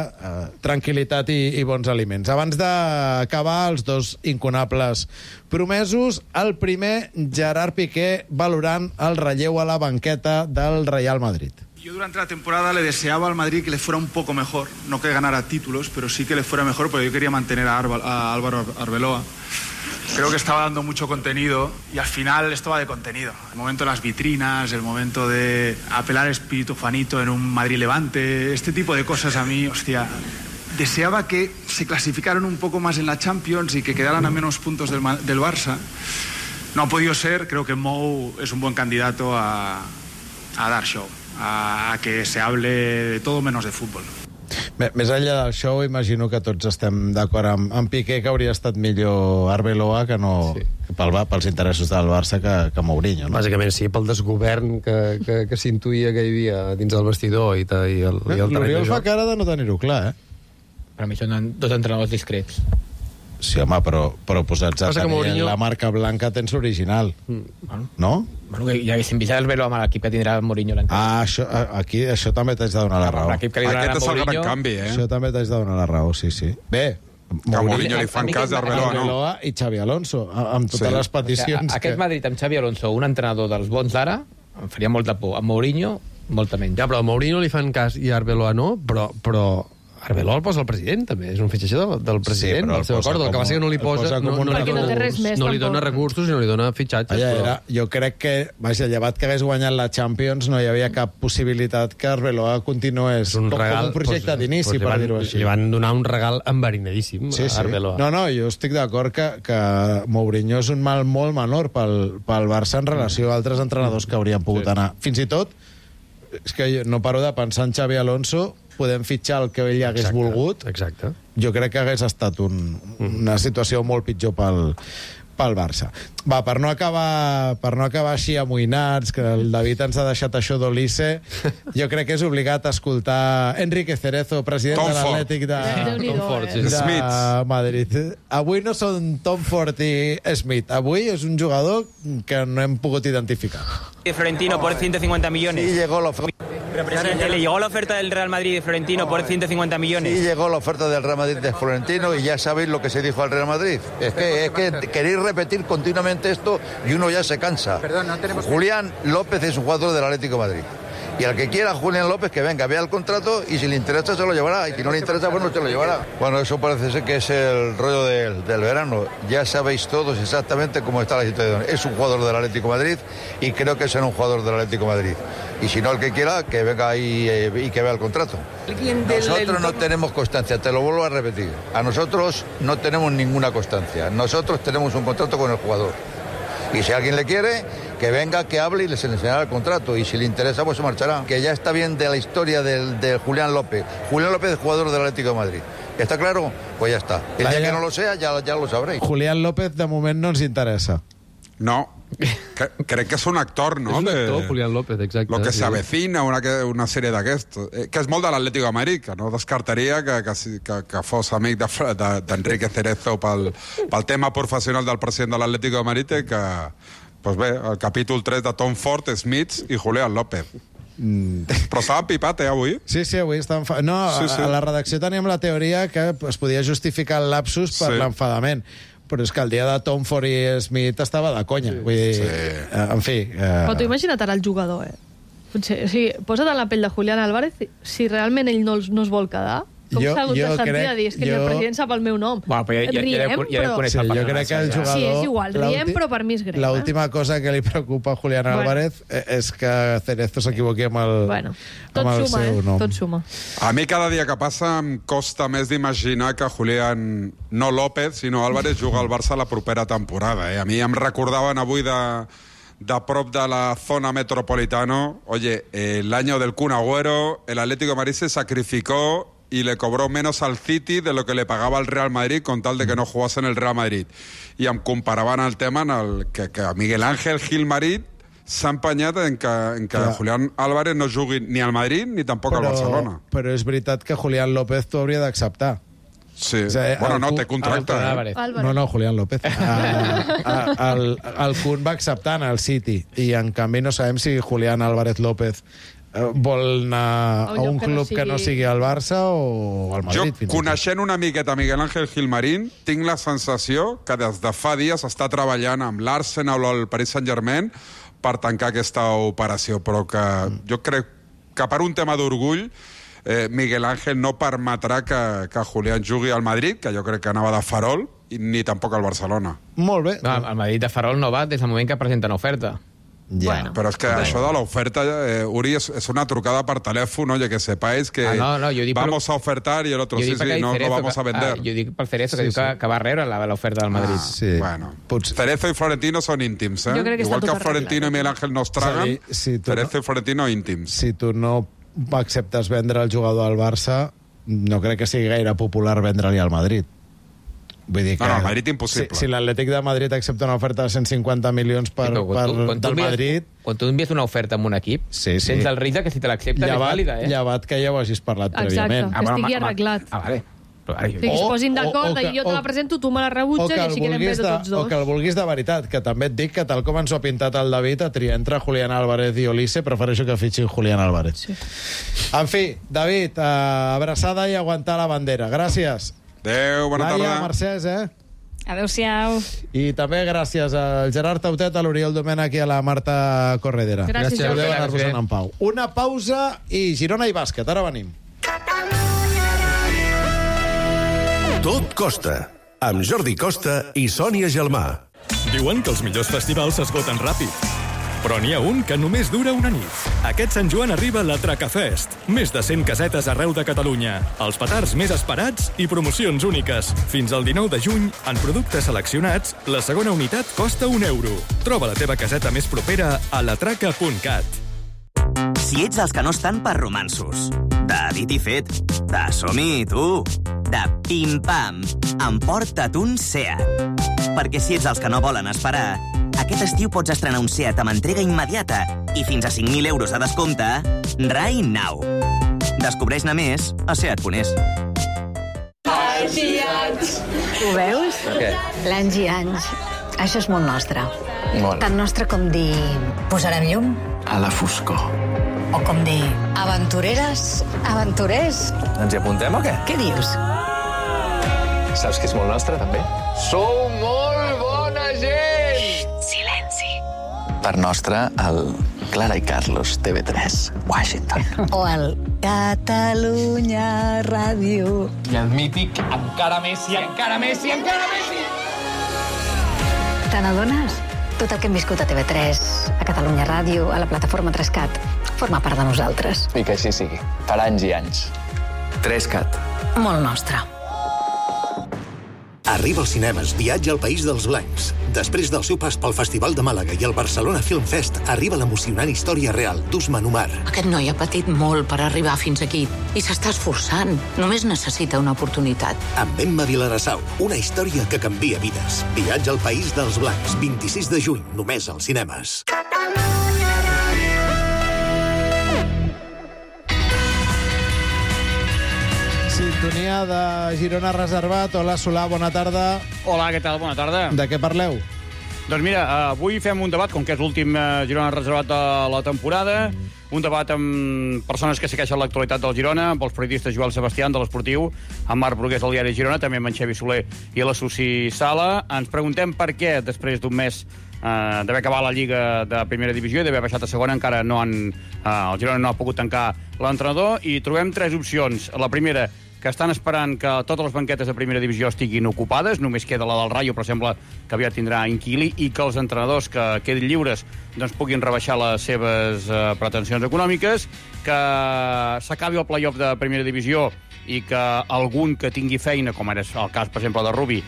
tranquil·litat i bons aliments. Abans d'acabar, els dos incunables promesos. El primer, Gerard Piqué, valorant el relleu a la banqueta del Real Madrid. Yo durante la temporada le deseaba al Madrid que le fuera un poco mejor, no que ganara títulos, pero sí que le fuera mejor, porque yo quería mantener a Álvaro Arbeloa. Creo que estaba dando mucho contenido y al final esto va de contenido. El momento de las vitrinas, el momento de apelar al espíritu Juanito en un Madrid-Levante, este tipo de cosas a mí, hostia, deseaba que se clasificaran un poco más en la Champions y que quedaran a menos puntos del Barça. No ha podido ser, creo que Mou es un buen candidato a dar show, a que se hable de todo menos de fútbol. Més enllà del show, imagino que tots estem d'acord amb Piqué, que hauria estat millor Arbeloa que no pels interessos del Barça que Mourinho. No? Bàsicament sí, pel desgovern que s'intuïa que hi havia dins del vestidor i el terreny de joc. L'Oriol fa cara de no tenir-ho clar, Per mi són dos entrenadors discrets. Sí, home, però posats a tenir Mourinho... la marca blanca tens l'original, no? Bueno, que ja haguéssim vist el amb l'equip que tindrà Mourinho l'any. això també t'haig de donar la raó. Aquest és el gran canvi, Això també t'haig de donar la raó, sí. Bé, que a Mourinho li fan cas d'Arbeloa, no? Arbeloa i Xavi Alonso, amb totes les peticions. Aquest Madrid amb Xavi Alonso, un entrenador dels bons d'ara, em faria molta por. A Mourinho, molta menys. Ja, però a Mourinho li fan cas i a Arbeloa no, però Arbeloa el posa el president, també. És un fitxatge del president, del seu acord. El que passa que no li posa... No li dona recursos i no li dona fitxatges. Jo crec que, llevat que hagués guanyat la Champions, no hi havia cap possibilitat que Arbeloa continués com un projecte d'inici, per dir-ho així. Li van donar un regal enverinadíssim a Arbeloa. No, jo estic d'acord que Mourinho és un mal molt menor pel Barça en relació a altres entrenadors que haurien pogut anar. Fins i tot, és que no paro de pensar en Xavi Alonso, podem fitxar el que ell hagués volgut. Exacte. Jo crec que hagués estat una situació molt pitjor pel pel Barça. Va, per no acabar així amoïnats, que el David ens ha deixat això d'Olice, jo crec que és obligat a escoltar Enrique Cerezo, president de l'Atlètic de Madrid. Avui no són Tom Ford i Smith, avui és un jugador que no hem pogut identificar. Florentino por 150 millones. Sí, llegó la oferta. ¿Le llegó la oferta del Real Madrid de Florentino por 150 millones? Sí, llegó la oferta del Real Madrid de Florentino y ya sabéis lo que se dijo al Real Madrid. Es que queréis repetir continuamente esto y uno ya se cansa. Perdón, no tenemos... Julián López es un jugador del Atlético de Madrid. Y al que quiera Julián López, que venga, vea el contrato y si le interesa se lo llevará. Y si no le interesa, pues no se lo llevará. Bueno, eso parece ser que es el rollo del verano. Ya sabéis todos exactamente cómo está la situación. Es un jugador del Atlético de Madrid y creo que será un jugador del Atlético de Madrid. Y si no, el que quiera, que venga ahí y que vea el contrato. Nosotros no tenemos constancia, te lo vuelvo a repetir. A nosotros no tenemos ninguna constancia. Nosotros tenemos un contrato con el jugador. Y si alguien le quiere, que venga, que hable y les enseñará el contrato. Y si le interesa, pues se marchará. Que ya está bien de la historia de Julián López. Julián López es jugador del Atlético de Madrid. ¿Está claro? Pues ya está. El día que no lo sea, ya lo sabréis. Julián López, de moment, no ens interessa. No. Crec que és un actor, no? És un actor, Julián López, exacte. Lo que s'avecina, una sèrie d'aquests. Que és molt de l'Atlético de Madrid, que no descartaria que fos amic d'Enrique Cerezo pel tema professional del president de l'Atlético de Madrid, que, doncs bé, el capítol 3 de Tom Ford, Smith i Julián López. Però estava pipat, avui? Sí, avui estava enfadat. No, a la redacció teníem la teoria que es podia justificar el lapsus per l'enfadament. Però és que el dia de Tom Ford i Smith estava de conya. Vull dir, en fi... Però tu imagina't ara el jugador, Potser, o sigui, posa't en la pell de Julián Álvarez, si realment ell no es vol quedar, com s'ha hagut de sentir a dir, és que el president sap el meu nom. Bueno, però jo crec que el jugador... Sí, és igual, riem, però per mi és greu. L'última cosa que li preocupa a Julián Álvarez és que Cerezo s'equivoqui amb el seu nom. Tot suma. A mi cada dia que passa em costa més d'imaginar que Julián, no López, sinó Álvarez, juga al Barça la propera temporada. A mi em recordaven avui de prop de la zona metropolitano, oye, el año del Kun Agüero, el Atlético de Madrid se sacrificó y le cobró menos al City de lo que le pagaba el Real Madrid con tal de que no jugase en el Real Madrid. I em comparaven el tema en el que Miguel Ángel Gilmarit s'ha empenyat en que Julián Álvarez no jugui ni al Madrid ni tampoc al Barcelona. Però és veritat que Julián López t'ho hauria d'acceptar. Sí, o sigui, bueno, no, té contracte. No, Julián López. El Kun va acceptar en el City i en canvi no sabem si Julián Álvarez López vol anar a un club que no sigui el Barça o al Madrid. Jo, coneixent una miqueta Miguel Ángel Gilmarín, tinc la sensació que des de fa dies està treballant amb l'Arsenal o el Paris Saint-Germain per tancar aquesta operació, però que jo crec que per un tema d'orgull Miguel Ángel no permetrà que Julián jugui al Madrid, que jo crec que anava de farol, ni tampoc al Barcelona. Molt bé. No, el Madrid de farol no va des del moment que presenten oferta. Bueno, però és que això de l'oferta, Uri, és una trucada per telèfon, oye, que sepáis que vamos a ofertar y el otro sí, no vamos a vender. Jo dic pel Cerezo, que diu que va rebre l'oferta del Madrid. Bueno, Cerezo i Florentino són íntims, igual que Florentino i Miguel Ángel no es traguen, Cerezo i Florentino íntims. Si tu no acceptes vendre el jugador al Barça, no crec que sigui gaire popular vendre-li al Madrid. Vull dir que no, Madrid impossible. Si l'Atlètic de Madrid accepta una oferta de 150 milions del Madrid... Quan tu envies una oferta amb un equip, tens el risc que si te l'accepten és vàlida, Llevat que ja ho hagis parlat prèviament. Exacte, que estigui arreglat. Vale. Que es posin d'acord i jo te la presento, tu me la rebutges i així quedem bé de tots dos. O que el vulguis de veritat, que també et dic que tal com ens ho ha pintat el David, a triar entre Julián Álvarez i Olice, prefereixo que fitxin Julián Álvarez. En fi, David, abraçada i aguantar la bandera. Gràcies. Adéu, bona tarda. Laia, Mercès, Adéu-siau. I també gràcies al Gerard Tautet, a l'Oriol Domènech i a la Marta Corredera. Gràcies. Podeu anar-vos en pau. Una pausa i Girona i bàsquet. Ara venim. Tot costa, amb Jordi Costa i Sònia Gelmà. Diuen que els millors festivals s'esgoten ràpid, però n'hi ha un que només dura una nit. Aquest Sant Joan arriba la Tracafest. Més de 100 casetes arreu de Catalunya. Els petards més esperats i promocions úniques. Fins al 19 de juny, en productes seleccionats, la segona unitat costa €1. Troba la teva caseta més propera a latraca.cat. Si ets dels que no estan per romanços, de dit i fet, de som-hi tu, de pim-pam, emporta't un Seat. Perquè si ets els que no volen esperar, aquest estiu pots estrenar un Seat amb entrega immediata i fins a 5.000 euros a descompte right now. Descobreix-ne més a seat.es. Anys i anys. Ho veus? Què? L'anys i anys. Això és molt nostre. Molt. Tan nostre com dir... Posarem llum? A la foscor. O com dir... Aventureres? Aventurers? Ens hi apuntem o què? Què dius? Saps que és molt nostre, també? Sou molt bona gent! Silenci. Per nostre, el Clara i Carlos, TV3, Washington. O el Catalunya Ràdio. I el mític Encara Messi, encara Messi, encara Messi! Te n'adones? Tot el que hem viscut a TV3, a Catalunya Ràdio, a la plataforma 3CAT, forma part de nosaltres. I que així sigui, per anys i anys. 3CAT. Molt nostre. Arriba als cinemes Viatge al País dels Blancs. Després del seu pas pel Festival de Màlaga i el Barcelona Film Fest, arriba l'emocionant història real d'Usman Umar. Aquest noi ha patit molt per arribar fins aquí i s'està esforçant. Només necessita una oportunitat. Amb Emma Vilarassau, una història que canvia vides. Viatge al País dels Blancs, 26 de juny, només als cinemes. Sintonia de Girona Reservat. Hola, Solà, bona tarda. Hola, què tal? Bona tarda. De què parleu? Doncs mira, avui fem un debat, com que és l'últim Girona Reservat de la temporada, un debat amb persones que segueixen l'actualitat del Girona, amb els periodistes Joel Sebastián, de l'Esportiu, amb Marc Brugués, del Diari Girona, també amb en Xavi Soler i la Susi Sala. Ens preguntem per què, després d'un mes d'haver acabat la Lliga de Primera Divisió i d'haver baixat a segona, encara no el Girona no ha pogut tancar l'entrenador, i trobem tres opcions. La primera, que estan esperant que totes les banquetes de primera divisió estiguin ocupades, només queda la del Rayo, però sembla que aviat tindrà inquili, i que els entrenadors que quedin lliures doncs puguin rebaixar les seves pretensions econòmiques, que s'acabi el play-off de primera divisió i que algun que tingui feina, com ara és el cas, per exemple, de Rubi,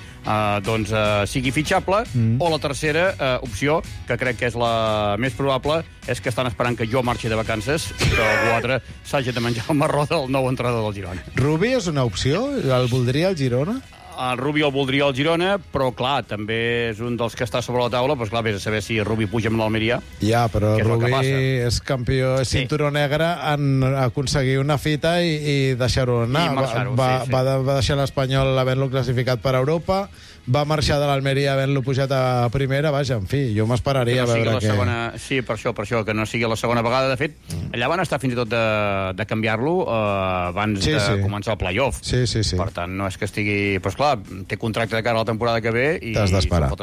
doncs sigui fitxable, o la tercera opció, que crec que és la més probable, és que estan esperant que jo marxi de vacances i que algú altre s'hagi de menjar el marró del nou entrenador del Girona. Rubi és una opció? El voldria el Girona? El Rubi el voldria el Girona, però, clar, també és un dels que està sobre la taula, doncs, clar, vés a saber si Rubi puja amb l'Almeria. Ja, però Rubi és campió, és cinturó negre en aconseguir una fita i deixar-ho anar. Va deixar l'Espanyol havent-lo classificat per Europa, va marxar de l'Almeria havent-lo pujat a primera, vaja, en fi, jo m'esperaria a veure què... Sí, per això, que no sigui la segona vegada. De fet, allà van estar fins i tot de canviar-lo abans de començar el play-off. Sí. Per tant, no és que estigui... Però, clar, té contracte de cara a la temporada que ve i t'has d'esperar,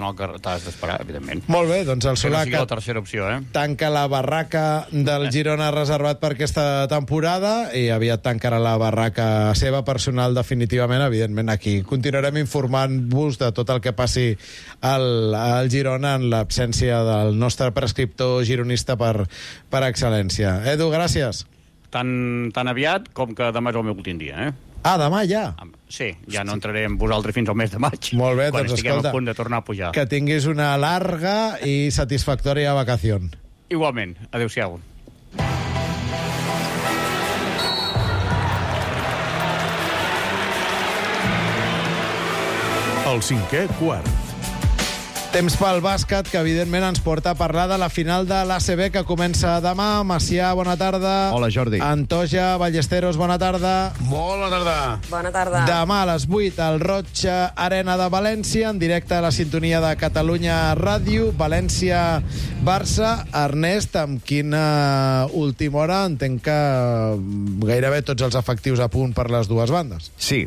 evidentment. Molt bé, doncs el Solà, que no sigui la tercera opció, tanca la barraca del Girona Reservat per aquesta temporada i aviat tancarà la barraca seva personal definitivament. Evidentment, aquí continuarem informant-vos de tot el que passi al Girona en l'absència del nostre prescriptor gironista per excel·lència. Edu, gràcies. Tan aviat com que demà és el meu últim dia, demà ja? Sí, ja no entraré amb vosaltres fins al mes de maig. Molt bé, quan doncs estiguem escolta, a punt de tornar a pujar. Que tinguis una larga i satisfactòria vacació. Igualment. Adéu-siau. El cinquè quart. Temps pel bàsquet, que evidentment ens porta a parlar de la final de l'ACB que comença demà. Macià, bona tarda. Hola, Jordi. Antoja, Ballesteros, bona tarda. Bona tarda. Bona tarda. Demà a les 8 al Roig Arena de València, en directe a la sintonia de Catalunya Ràdio. València-Barça. Ernest, amb quina última hora? Entenc que gairebé tots els efectius a punt per les dues bandes. Sí,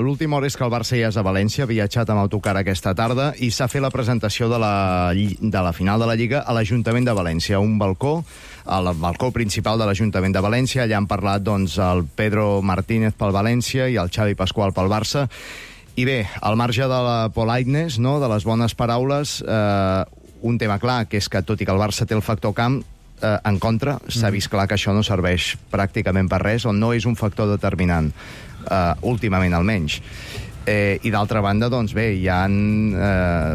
l'última hora és que el Barça ja és a València, ha viatjat amb autocar aquesta tarda i s'ha fet la presentació de la final de la Lliga a l'Ajuntament de València, un balcó, el balcó principal de l'Ajuntament de València. Allà han parlat doncs, el Pedro Martínez pel València i el Xavi Pasqual pel Barça. I bé, al marge de la politeness, no?, de les bones paraules, un tema clar, que és que tot i que el Barça té el factor camp en contra, s'ha vist clar que això no serveix pràcticament per res, o no és un factor determinant, últimament almenys. I d'altra banda, doncs bé, hi ha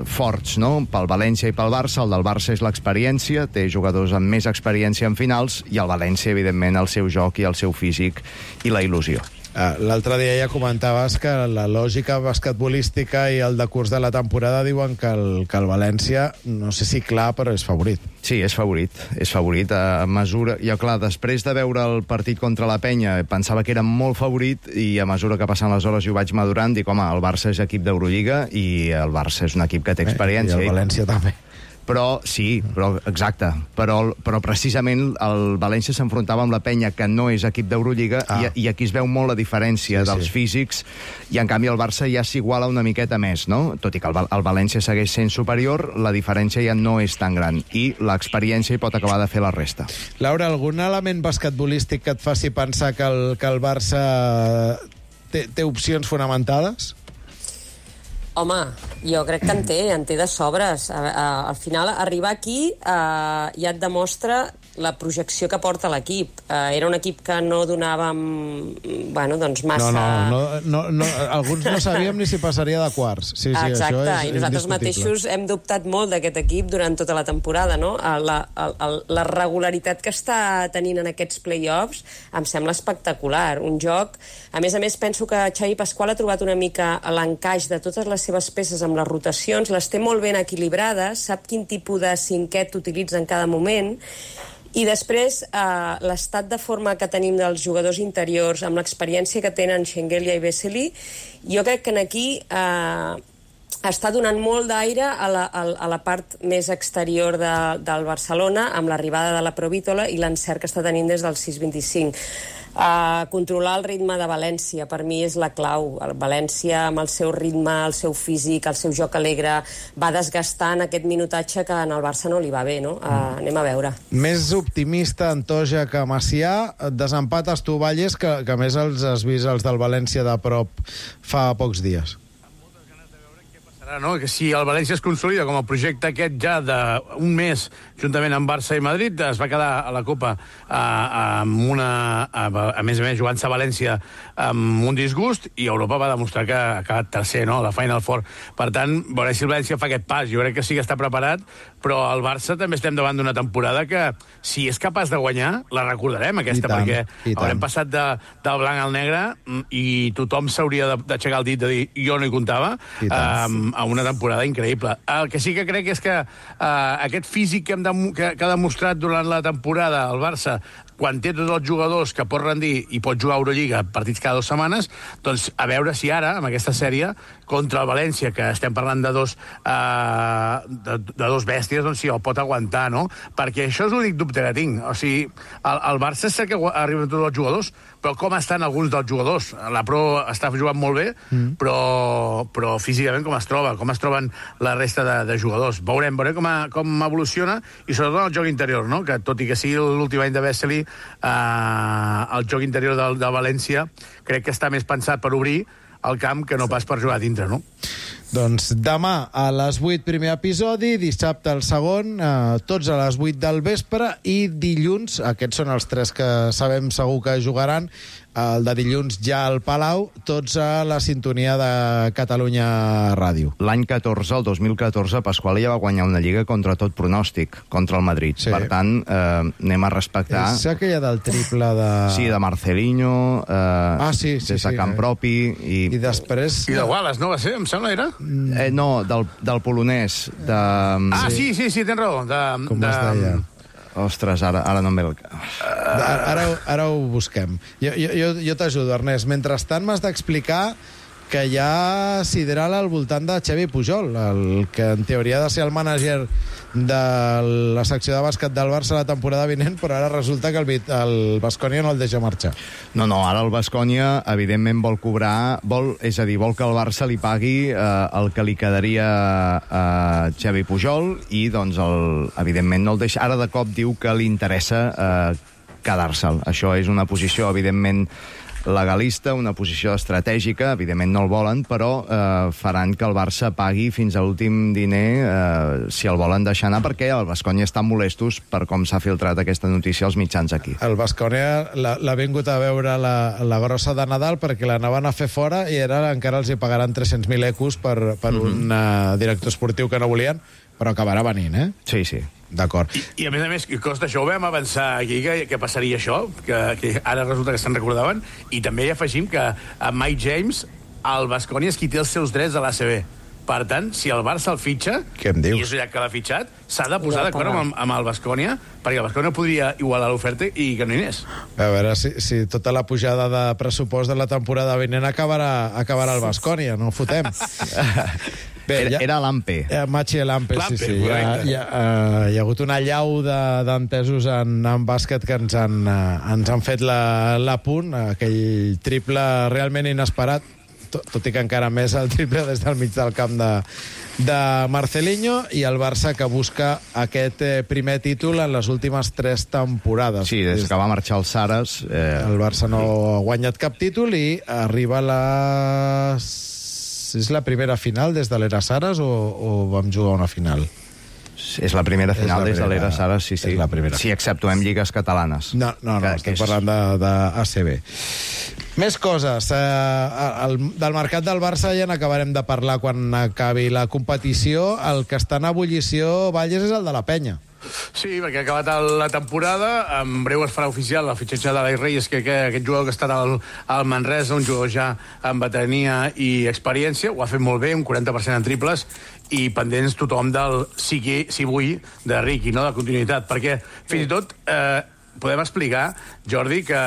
forts, no?, pel València i pel Barça. El del Barça és l'experiència, té jugadors amb més experiència en finals, i el València, evidentment, el seu joc i el seu físic i la il·lusió. L'altre dia ja comentaves que la lògica basquetbolística i el decurs de la temporada diuen que el València, no sé si clar, però és favorit. Sí, és favorit. A mesura... Jo, clar, després de veure el partit contra la Penya, pensava que era molt favorit i a mesura que passen les hores i ho vaig madurant, dic, home, el Barça és equip d'Eurolliga i el Barça és un equip que té experiència. I el València també. Però, sí, exacte. Però precisament el València s'enfrontava amb la Penya, que no és equip d'Eurolliga, i aquí es veu molt la diferència dels físics, i en canvi el Barça ja s'iguala una miqueta més, no? Tot i que el València segueix sent superior, la diferència ja no és tan gran, i l'experiència hi pot acabar de fer la resta. Laura, algun element basquetbolístic que et faci pensar que el Barça té opcions fonamentades? Home, jo crec que en té de sobres. Al final, arribar aquí ja et demostra la projecció que porta l'equip. Era un equip que no donàvem, massa... No, alguns no sabíem ni si passaria de quarts. Sí, exacte, això és i nosaltres mateixos hem dubtat molt d'aquest equip durant tota la temporada, no? La regularitat que està tenint en aquests play-offs em sembla espectacular. Un joc... A més, penso que Xavi Pasqual ha trobat una mica l'encaix de totes les seves peces amb les rotacions, les té molt ben equilibrades, sap quin tipus de cinquet utilitza en cada moment, i després l'estat de forma que tenim dels jugadors interiors, amb l'experiència que tenen Schengelia i Vesely, jo crec que aquí està donant molt d'aire a la part més exterior del Barcelona, amb l'arribada de la Provítola i l'encert que està tenint des del 6-25. Controlar el ritme de València per mi és la clau. El València, amb el seu ritme, el seu físic, el seu joc alegre, va desgastant aquest minutatge que en el Barça no li va bé, no? Anem a veure. Més optimista Antoja que Macià, desempates tu, Valles, que més els has vist els del València de prop fa pocs dies. No? Que si el València es consolida com a projecte aquest ja d'un mes, juntament amb Barça i Madrid, es va quedar a la Copa a més a més jugant-se a València amb un disgust, i Europa va demostrar que ha acabat tercer, no? La Final Four. Per tant, veurem si el València fa aquest pas. Jo crec que sí que està preparat, però el Barça també estem davant d'una temporada que, si és capaç de guanyar, la recordarem, aquesta, perquè haurem passat del blanc al negre i tothom s'hauria d'aixecar el dit de dir jo no hi comptava, a una temporada increïble. El que sí que crec és que aquest físic que ha demostrat durant la temporada el Barça, quan té tots els jugadors que pot rendir i pot jugar a Eurolliga partits cada 2 setmanes, doncs a veure si ara, amb aquesta sèrie, contra el València, que estem parlant de dos bèsties, doncs si el pot aguantar, no? Perquè això és l'únic dubte que tinc. O sigui, el Barça és que arriben tots els jugadors, però com estan alguns dels jugadors? La Pro està jugant molt bé, però físicament com es troben la resta de jugadors. Veurem com evoluciona, i sobretot el joc interior, no? Que tot i que sigui l'últim any de Vesely, el joc interior del València crec que està més pensat per obrir el camp que no pas per jugar a dintre, no? Doncs demà a les 8 primer episodi, dissabte el segon, tots a les 8 del vespre, i dilluns, aquests són els 3 que sabem segur que jugaran, el de dilluns ja al Palau, tots a la sintonia de Catalunya Ràdio. L'any 14, el 2014, Pasqual ja va guanyar una lliga contra tot pronòstic, contra el Madrid. Sí. Per tant, anem a respectar... És aquella del triple de... Sí, de Marcelinho, sí, des de camp propi... I després... I de Wallace, no va ser? Em sembla, era? No, del polonès. Sí, tens raó. Com es deia? Ostres, ara no em ve el... Ara ho busquem. Jo t'ajudo, Ernest. Mentrestant m'has d'explicar que hi ha sideral al voltant de Xavi Pujol, el que en teoria ha de ser el mànager de la secció de bàsquet del Barça la temporada vinent, però ara resulta que el Baskonia no el deixa marxar. No, ara el Baskonia evidentment vol cobrar, vol que el Barça li pagui el que li quedaria a Xavi Pujol, i doncs evidentment no el deixa. Ara de cop diu que li interessa quedar-se'l. Això és una posició evidentment legalista, una posició estratègica, evidentment no el volen, però faran que el Barça pagui fins a l'últim diner si el volen deixar anar, perquè el Baskonia estan molestos per com s'ha filtrat aquesta notícia als mitjans aquí. El Baskonia l'ha vingut a veure la grossa de Nadal perquè l'anaven a fer fora, i ara encara els hi pagaran 300.000 ecos per un director esportiu que no volien, però acabarà venint, Sí. D'acord. I a més, costa, això ho vam avançar aquí, que passaria això, que ara resulta que se'n recordaven, i també hi afegim que a Mike James, el Baskonia és qui té els seus drets a l'ACB. Per tant, si el Barça el fitxa, i és ja que l'ha fitxat, s'ha de posar d'acord amb el Baskonia, perquè el Baskonia podria igualar l'oferta i que no hi anés. A veure si tota la pujada de pressupost de la temporada vinent acabarà el Baskonia, no ho fotem. Bé, era l'AMPE. Machi l'AMPE, sí. Hi ha hagut una llau d'entesos en bàsquet que ens han fet l'apunt, aquell triple realment inesperat, tot i que encara més el triple des del mig del camp de Marcelinho, i el Barça que busca aquest primer títol en les últimes 3 temporades. Sí, des que va marxar el Saras... El Barça no ha guanyat cap títol i arriba És la primera final des de l'era Saras o vam jugar una final? És la primera final des de l'era Saras, sí. És la primera. Si exceptuem lligues catalanes. No, estem parlant d'ACB. Més coses. Del mercat del Barça ja n'acabarem de parlar quan acabi la competició. El que està en ebullició, Valles, és el de la Penya. Sí, perquè ha acabat la temporada, en breu es farà oficial el fitxatge de l'Ai Reyes, que aquest jugador que estarà al Manresa, un jugador ja amb veterania i experiència, ho ha fet molt bé, un 40% en triples, i pendents tothom del si vull de Riqui, no? De continuïtat, perquè fins i tot podem explicar, Jordi, que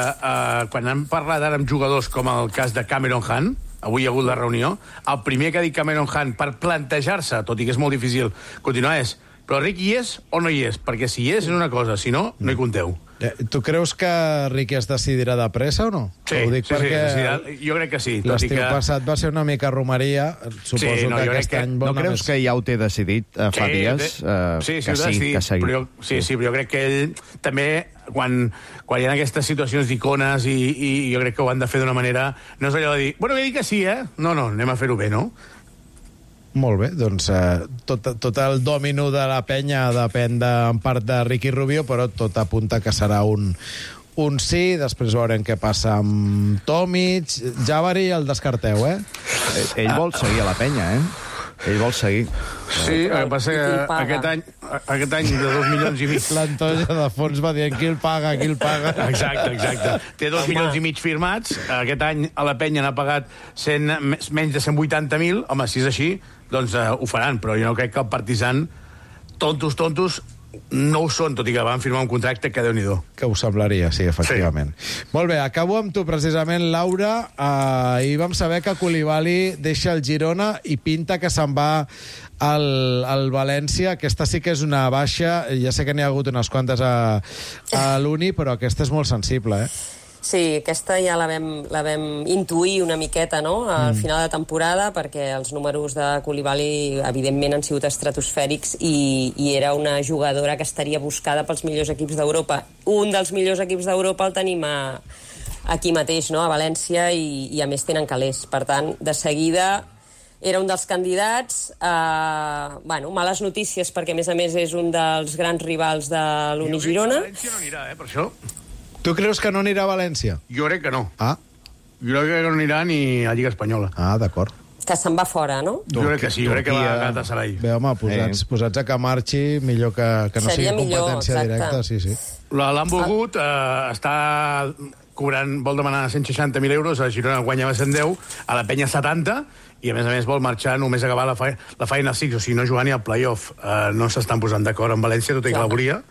quan hem parlat ara amb jugadors com el cas de Cameron Hunt, avui hi ha hagut la reunió, el primer que ha dit Cameron Hunt per plantejar-se, tot i que és molt difícil continuar, és però Riqui hi és o no hi és? Perquè si hi és una cosa, si no, no hi compteu. Tu creus que Riqui es decidirà de pressa o no? Sí, jo crec que sí. L'estiu passat va ser una mica romaria, suposo que aquest any... No creus que ja ho té decidit fa dies? Sí, però jo crec que ell també, quan hi ha aquestes situacions d'icones, i jo crec que ho han de fer d'una manera... No és allò de dir, bueno, he dit que sí, No, anem a fer-ho bé, no? Molt bé, doncs tot el dòmino de la Penya depèn en part de Riqui Rubio, però tot apunta que serà un sí. Després veurem què passa amb Tomic. Jabari el descarteu, Ell vol seguir a la Penya, Ell vol seguir. Sí, el que passa que aquest any de 2 milions i mig... L'Antoja de fons va dient qui el paga. Exacte. Té 2 milions i mig firmats. Aquest any a la Penya n'ha pagat menys de 180.000. Home, si és així, doncs ho faran, però jo no crec que el Partizan, tontos, no ho són, tot i que van firmar un contracte que Déu-n'hi-do. Que ho semblaria, sí, efectivament. Sí. Molt bé, acabo amb tu, precisament, Laura. Ahir vam saber que Koulibaly deixa el Girona i pinta que se'n va al València. Aquesta sí que és una baixa. Ja sé que n'hi ha hagut unes quantes a l'Uni, però aquesta és molt sensible, Sí, aquesta ja la vam intuir una miqueta, no?, al final de temporada, perquè els números de Koulibaly, evidentment, han sigut estratosfèrics i era una jugadora que estaria buscada pels millors equips d'Europa. Un dels millors equips d'Europa el tenim aquí mateix, no?, a València, i a més tenen calés. Per tant, de seguida era un dels candidats. Males notícies, perquè a més és un dels grans rivals de l'Uni Girona. València no anirà, per això. Tu creus que no anirà a València? Jo crec que no. Jo crec que no anirà ni a Lliga Espanyola. D'acord. Que se'n va fora, no? Jo crec que sí, jo crec que va a Galatasaray. Bé, home, posats a que marxi, millor que no sigui competència directa. Sí. L'han volgut, està cobrant, vol demanar 160.000 euros, a Girona guanyava 110, a la Penya 70, i a més vol marxar només acabar la Final Six, o sigui, no jugar ni al playoff. No s'estan posant d'acord amb València, tot i que la volia.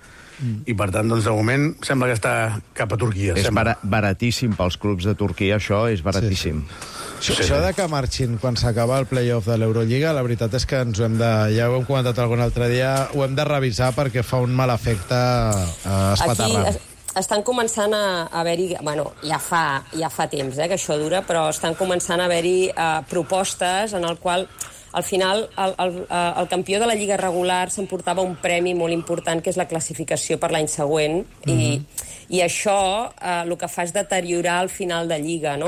I per tant, doncs, de moment sembla que està cap a Turquia. És baratíssim pels clubs de Turquia, això és baratíssim. Això de que marxin quan s'acaba el playoff de l'Eurolliga, la veritat és que ens ho hem de... Ja ho hem comentat algun altre dia, ho hem de revisar perquè fa un mal efecte espaterrant. Aquí estan començant a haver-hi... Bueno, ja fa temps que això dura, però estan començant a haver-hi propostes en el qual... Al final, el campió de la Lliga regular s'emportava un premi molt important, que és la classificació per l'any següent, i això el que fa és deteriorar el final de Lliga, no?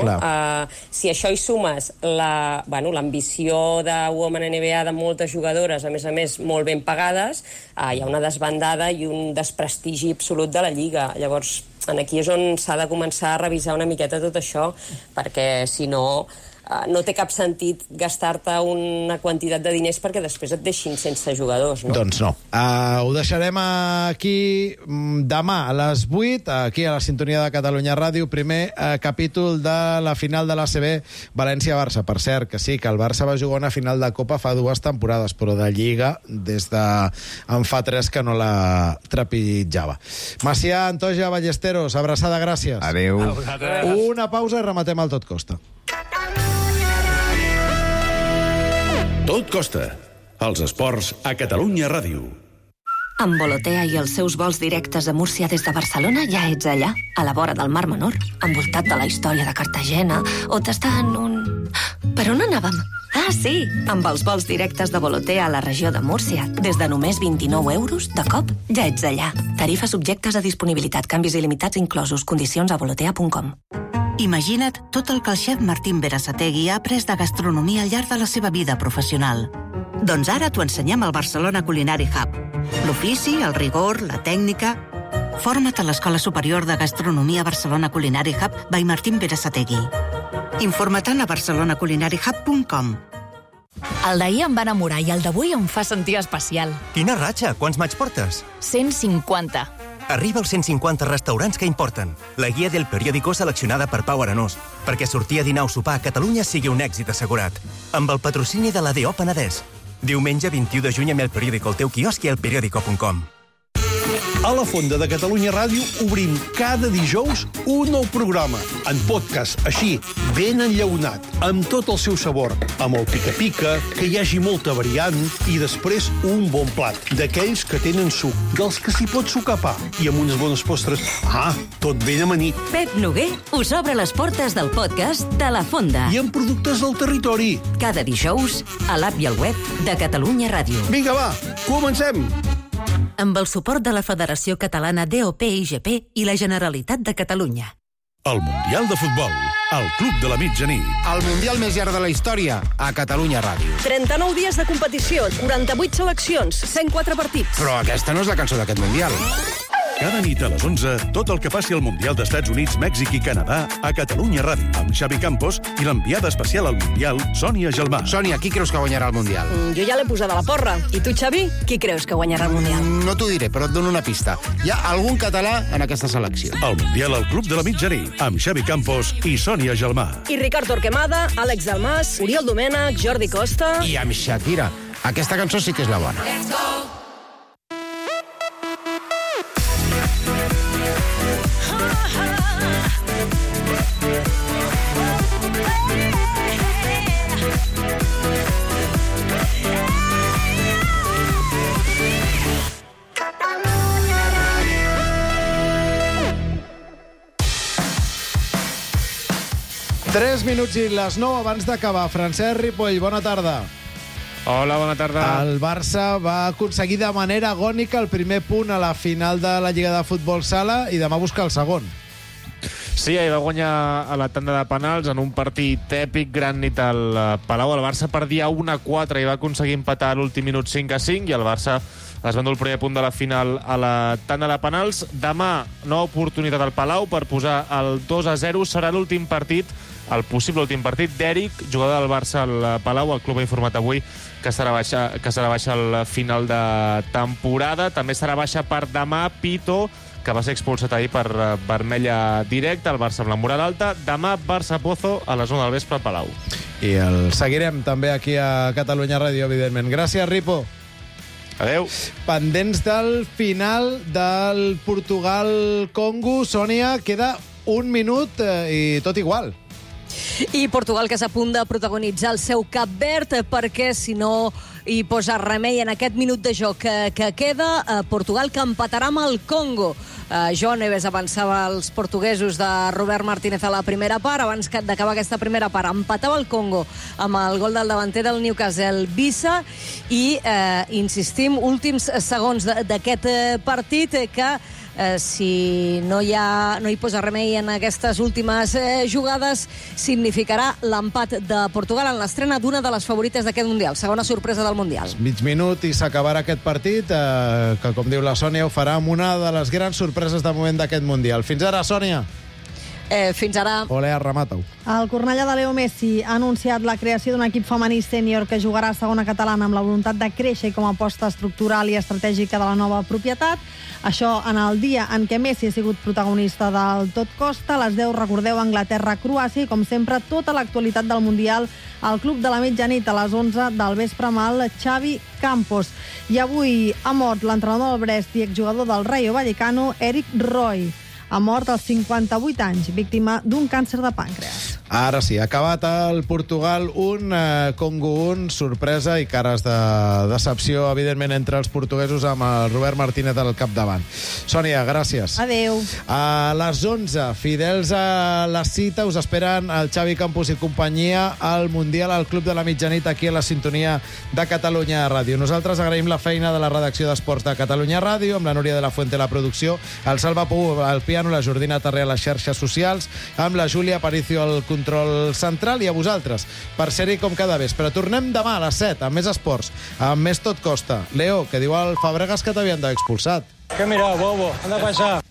Si això hi sumes l'ambició de Women NBA de moltes jugadores, a més molt ben pagades, hi ha una desbandada i un desprestigi absolut de la Lliga. Llavors, aquí és on s'ha de començar a revisar una miqueta tot això, perquè si no... no té cap sentit gastar-te una quantitat de diners perquè després et deixin sense jugadors, no? Doncs no. Ho deixarem aquí demà a les 8, aquí a la sintonia de Catalunya Ràdio, primer capítol de la final de l'ACB València-Barça. Per cert, que sí, que el Barça va jugar una final de Copa fa 2 temporades, però de Lliga des de en fa 3 que no la trepitjava. Macià, Antoja, Ballesteros, abraçada, gràcies. Adéu. Una pausa i rematem el Tot Costa. Tot Costa. Els esports a Catalunya Ràdio. Amb Volotea i els seus vols directes a Múrcia des de Barcelona ja ets allà, a la vora del Mar Menor, envoltat de la història de Cartagena, o tastant un... Per on anàvem? Ah, sí, amb els vols directes de Volotea a la regió de Múrcia, des de només 29 euros, de cop, ja ets allà. Tarifes subjectes a disponibilitat, canvis il·limitats inclosos, condicions a volotea.com. Imagina't tot el que el xef Martín Berasategui ha après de gastronomia al llarg de la seva vida professional. Doncs ara t'ho ensenyem al Barcelona Culinary Hub. L'ofici, el rigor, la tècnica... Forma't a l'Escola Superior de Gastronomia Barcelona Culinary Hub by Martín Berasategui. Informa't a barcelonaculinaryhub.com. El d'ahir em va enamorar i el d'avui em fa sentir especial. Quina ratxa! Quants maig portes? 150. Arriba als 150 restaurants que importen. La guia del periòdico seleccionada per Pau Aranós, perquè sortir a dinar o sopar a Catalunya sigui un èxit assegurat. Amb el patrocini de l'ADO Penedès. Diumenge 21 de juny amb el periòdico al teu quiosc i al periòdico.com. A la Fonda de Catalunya Ràdio obrim cada dijous un nou programa, en podcast, així, ben enllaunat, amb tot el seu sabor, amb el pica-pica, que hi hagi molta variant, i després un bon plat, d'aquells que tenen suc, dels que s'hi pot sucar pa, i amb unes bones postres. Tot ben amanit. Pep Noguer us obre les portes del podcast de la Fonda. I amb productes del territori. Cada dijous, a l'app i al web de Catalunya Ràdio. Vinga, va, comencem! Amb el suport de la Federació Catalana DOP-IGP i la Generalitat de Catalunya. El Mundial de Futbol, al Club de la Mitjanit. El Mundial més llarg de la història, a Catalunya Ràdio. 39 dies de competició, 48 seleccions, 104 partits. Però aquesta no és la cançó d'aquest Mundial. Cada nit a les 11, tot el que passi al Mundial d'Estats Units, Mèxic i Canadà a Catalunya Ràdio, amb Xavi Campos i l'enviada especial al Mundial, Sònia Gelmà. Sònia, qui creus que guanyarà el Mundial? Jo ja l'he posada a la porra. I tu, Xavi, qui creus que guanyarà el Mundial? No t'ho diré, però et dono una pista. Hi ha algun català en aquesta selecció. El Mundial al Club de la Mitjanit, amb Xavi Campos i Sònia Gelmà. I Ricard Torquemada, Àlex Dalmas, Oriol Domènech, Jordi Costa... I amb Shakira. Aquesta cançó sí que és la bona. Let's go! Tres minuts i les 9 abans d'acabar. Francesc Ripoll, bona tarda. Hola, bona tarda. El Barça va aconseguir de manera agònica el primer punt a la final de la Lliga de Futbol Sala i demà busca el segon. Sí, ahir va guanyar a la tanda de penals en un partit èpic, gran nit al Palau. El Barça perdia 1-4 i va aconseguir empatar a l'últim minut 5-5 i el Barça es va endur el primer punt de la final a la tanda de penals. Demà, nova oportunitat al Palau per posar el 2-0. Serà l'últim partit, el possible últim partit d'Eric, jugador del Barça al Palau. El club ha informat avui que serà baixa al final de temporada. També serà baixa per demà Pito, que va ser expulsat ahir per vermella directa, el Barça amb la moral alta. Demà Barça-Pozo a les 1 del vespre al Palau. I el seguirem també aquí a Catalunya Ràdio, evidentment. Gràcies, Ripo. Adéu. Pendents del final del Portugal-Congo. Sònia, queda un minut i tot igual. I Portugal, que és a punt de protagonitzar el seu Cap Verd, perquè si no hi posa remei en aquest minut de joc que queda, Portugal que empatarà amb el Congo. Joan Neves avançava als portuguesos de Robert Martínez a la primera part. Abans d'acabar aquesta primera part, empatava el Congo amb el gol del davanter del Newcastle, Vissa, i insistim, últims segons d'aquest partit que si no hi posa remei en aquestes últimes jugades, significarà l'empat de Portugal en l'estrena d'una de les favorites d'aquest Mundial, segona sorpresa del Mundial. Mig minut i s'acabarà aquest partit, que, com diu la Sònia, ho farà amb una de les grans sorpreses de moment d'aquest Mundial. Fins ara, Sònia. Fins ara. Ole, remata-ho. El Cornellà de Leo Messi ha anunciat la creació d'un equip femení sènior que jugarà a segona catalana amb la voluntat de créixer com a aposta estructural i estratègica de la nova propietat. Això en el dia en què Messi ha sigut protagonista del Tot Costa. A les 10 recordeu Anglaterra-Croàcia i, com sempre, tota l'actualitat del Mundial al Club de la Mitjanit a les 11 del vespre amb el Xavi Campos. I avui ha mort l'entrenador del Brest i exjugador del Rayo Vallecano, Eric Roy. Ha mort als 58 anys, víctima d'un càncer de pàncreas. Ara sí, ha acabat el Portugal 1, Congo 1, sorpresa i cares de decepció, evidentment, entre els portuguesos amb el Robert Martínez al capdavant. Sònia, gràcies. Adéu. A les 11, fidels a la cita, us esperen el Xavi Campos i companyia al Mundial al Club de la Mitjanit, aquí a la sintonia de Catalunya Ràdio. Nosaltres agraïm la feina de la redacció d'Esports de Catalunya Ràdio, amb la Núria de la Fuente a la producció, el Salva Pou al piano, la Jordina Tarré a les xarxes socials, amb la Júlia Aparicio al control central i a vosaltres per ser-hi com cada vespre. Tornem demà a les 7 amb més esports, amb més Tot Costa. Leo, que diu al Fabregas que t'havien d'haver expulsat. ¿Qué mira, bobo? Anda para allá.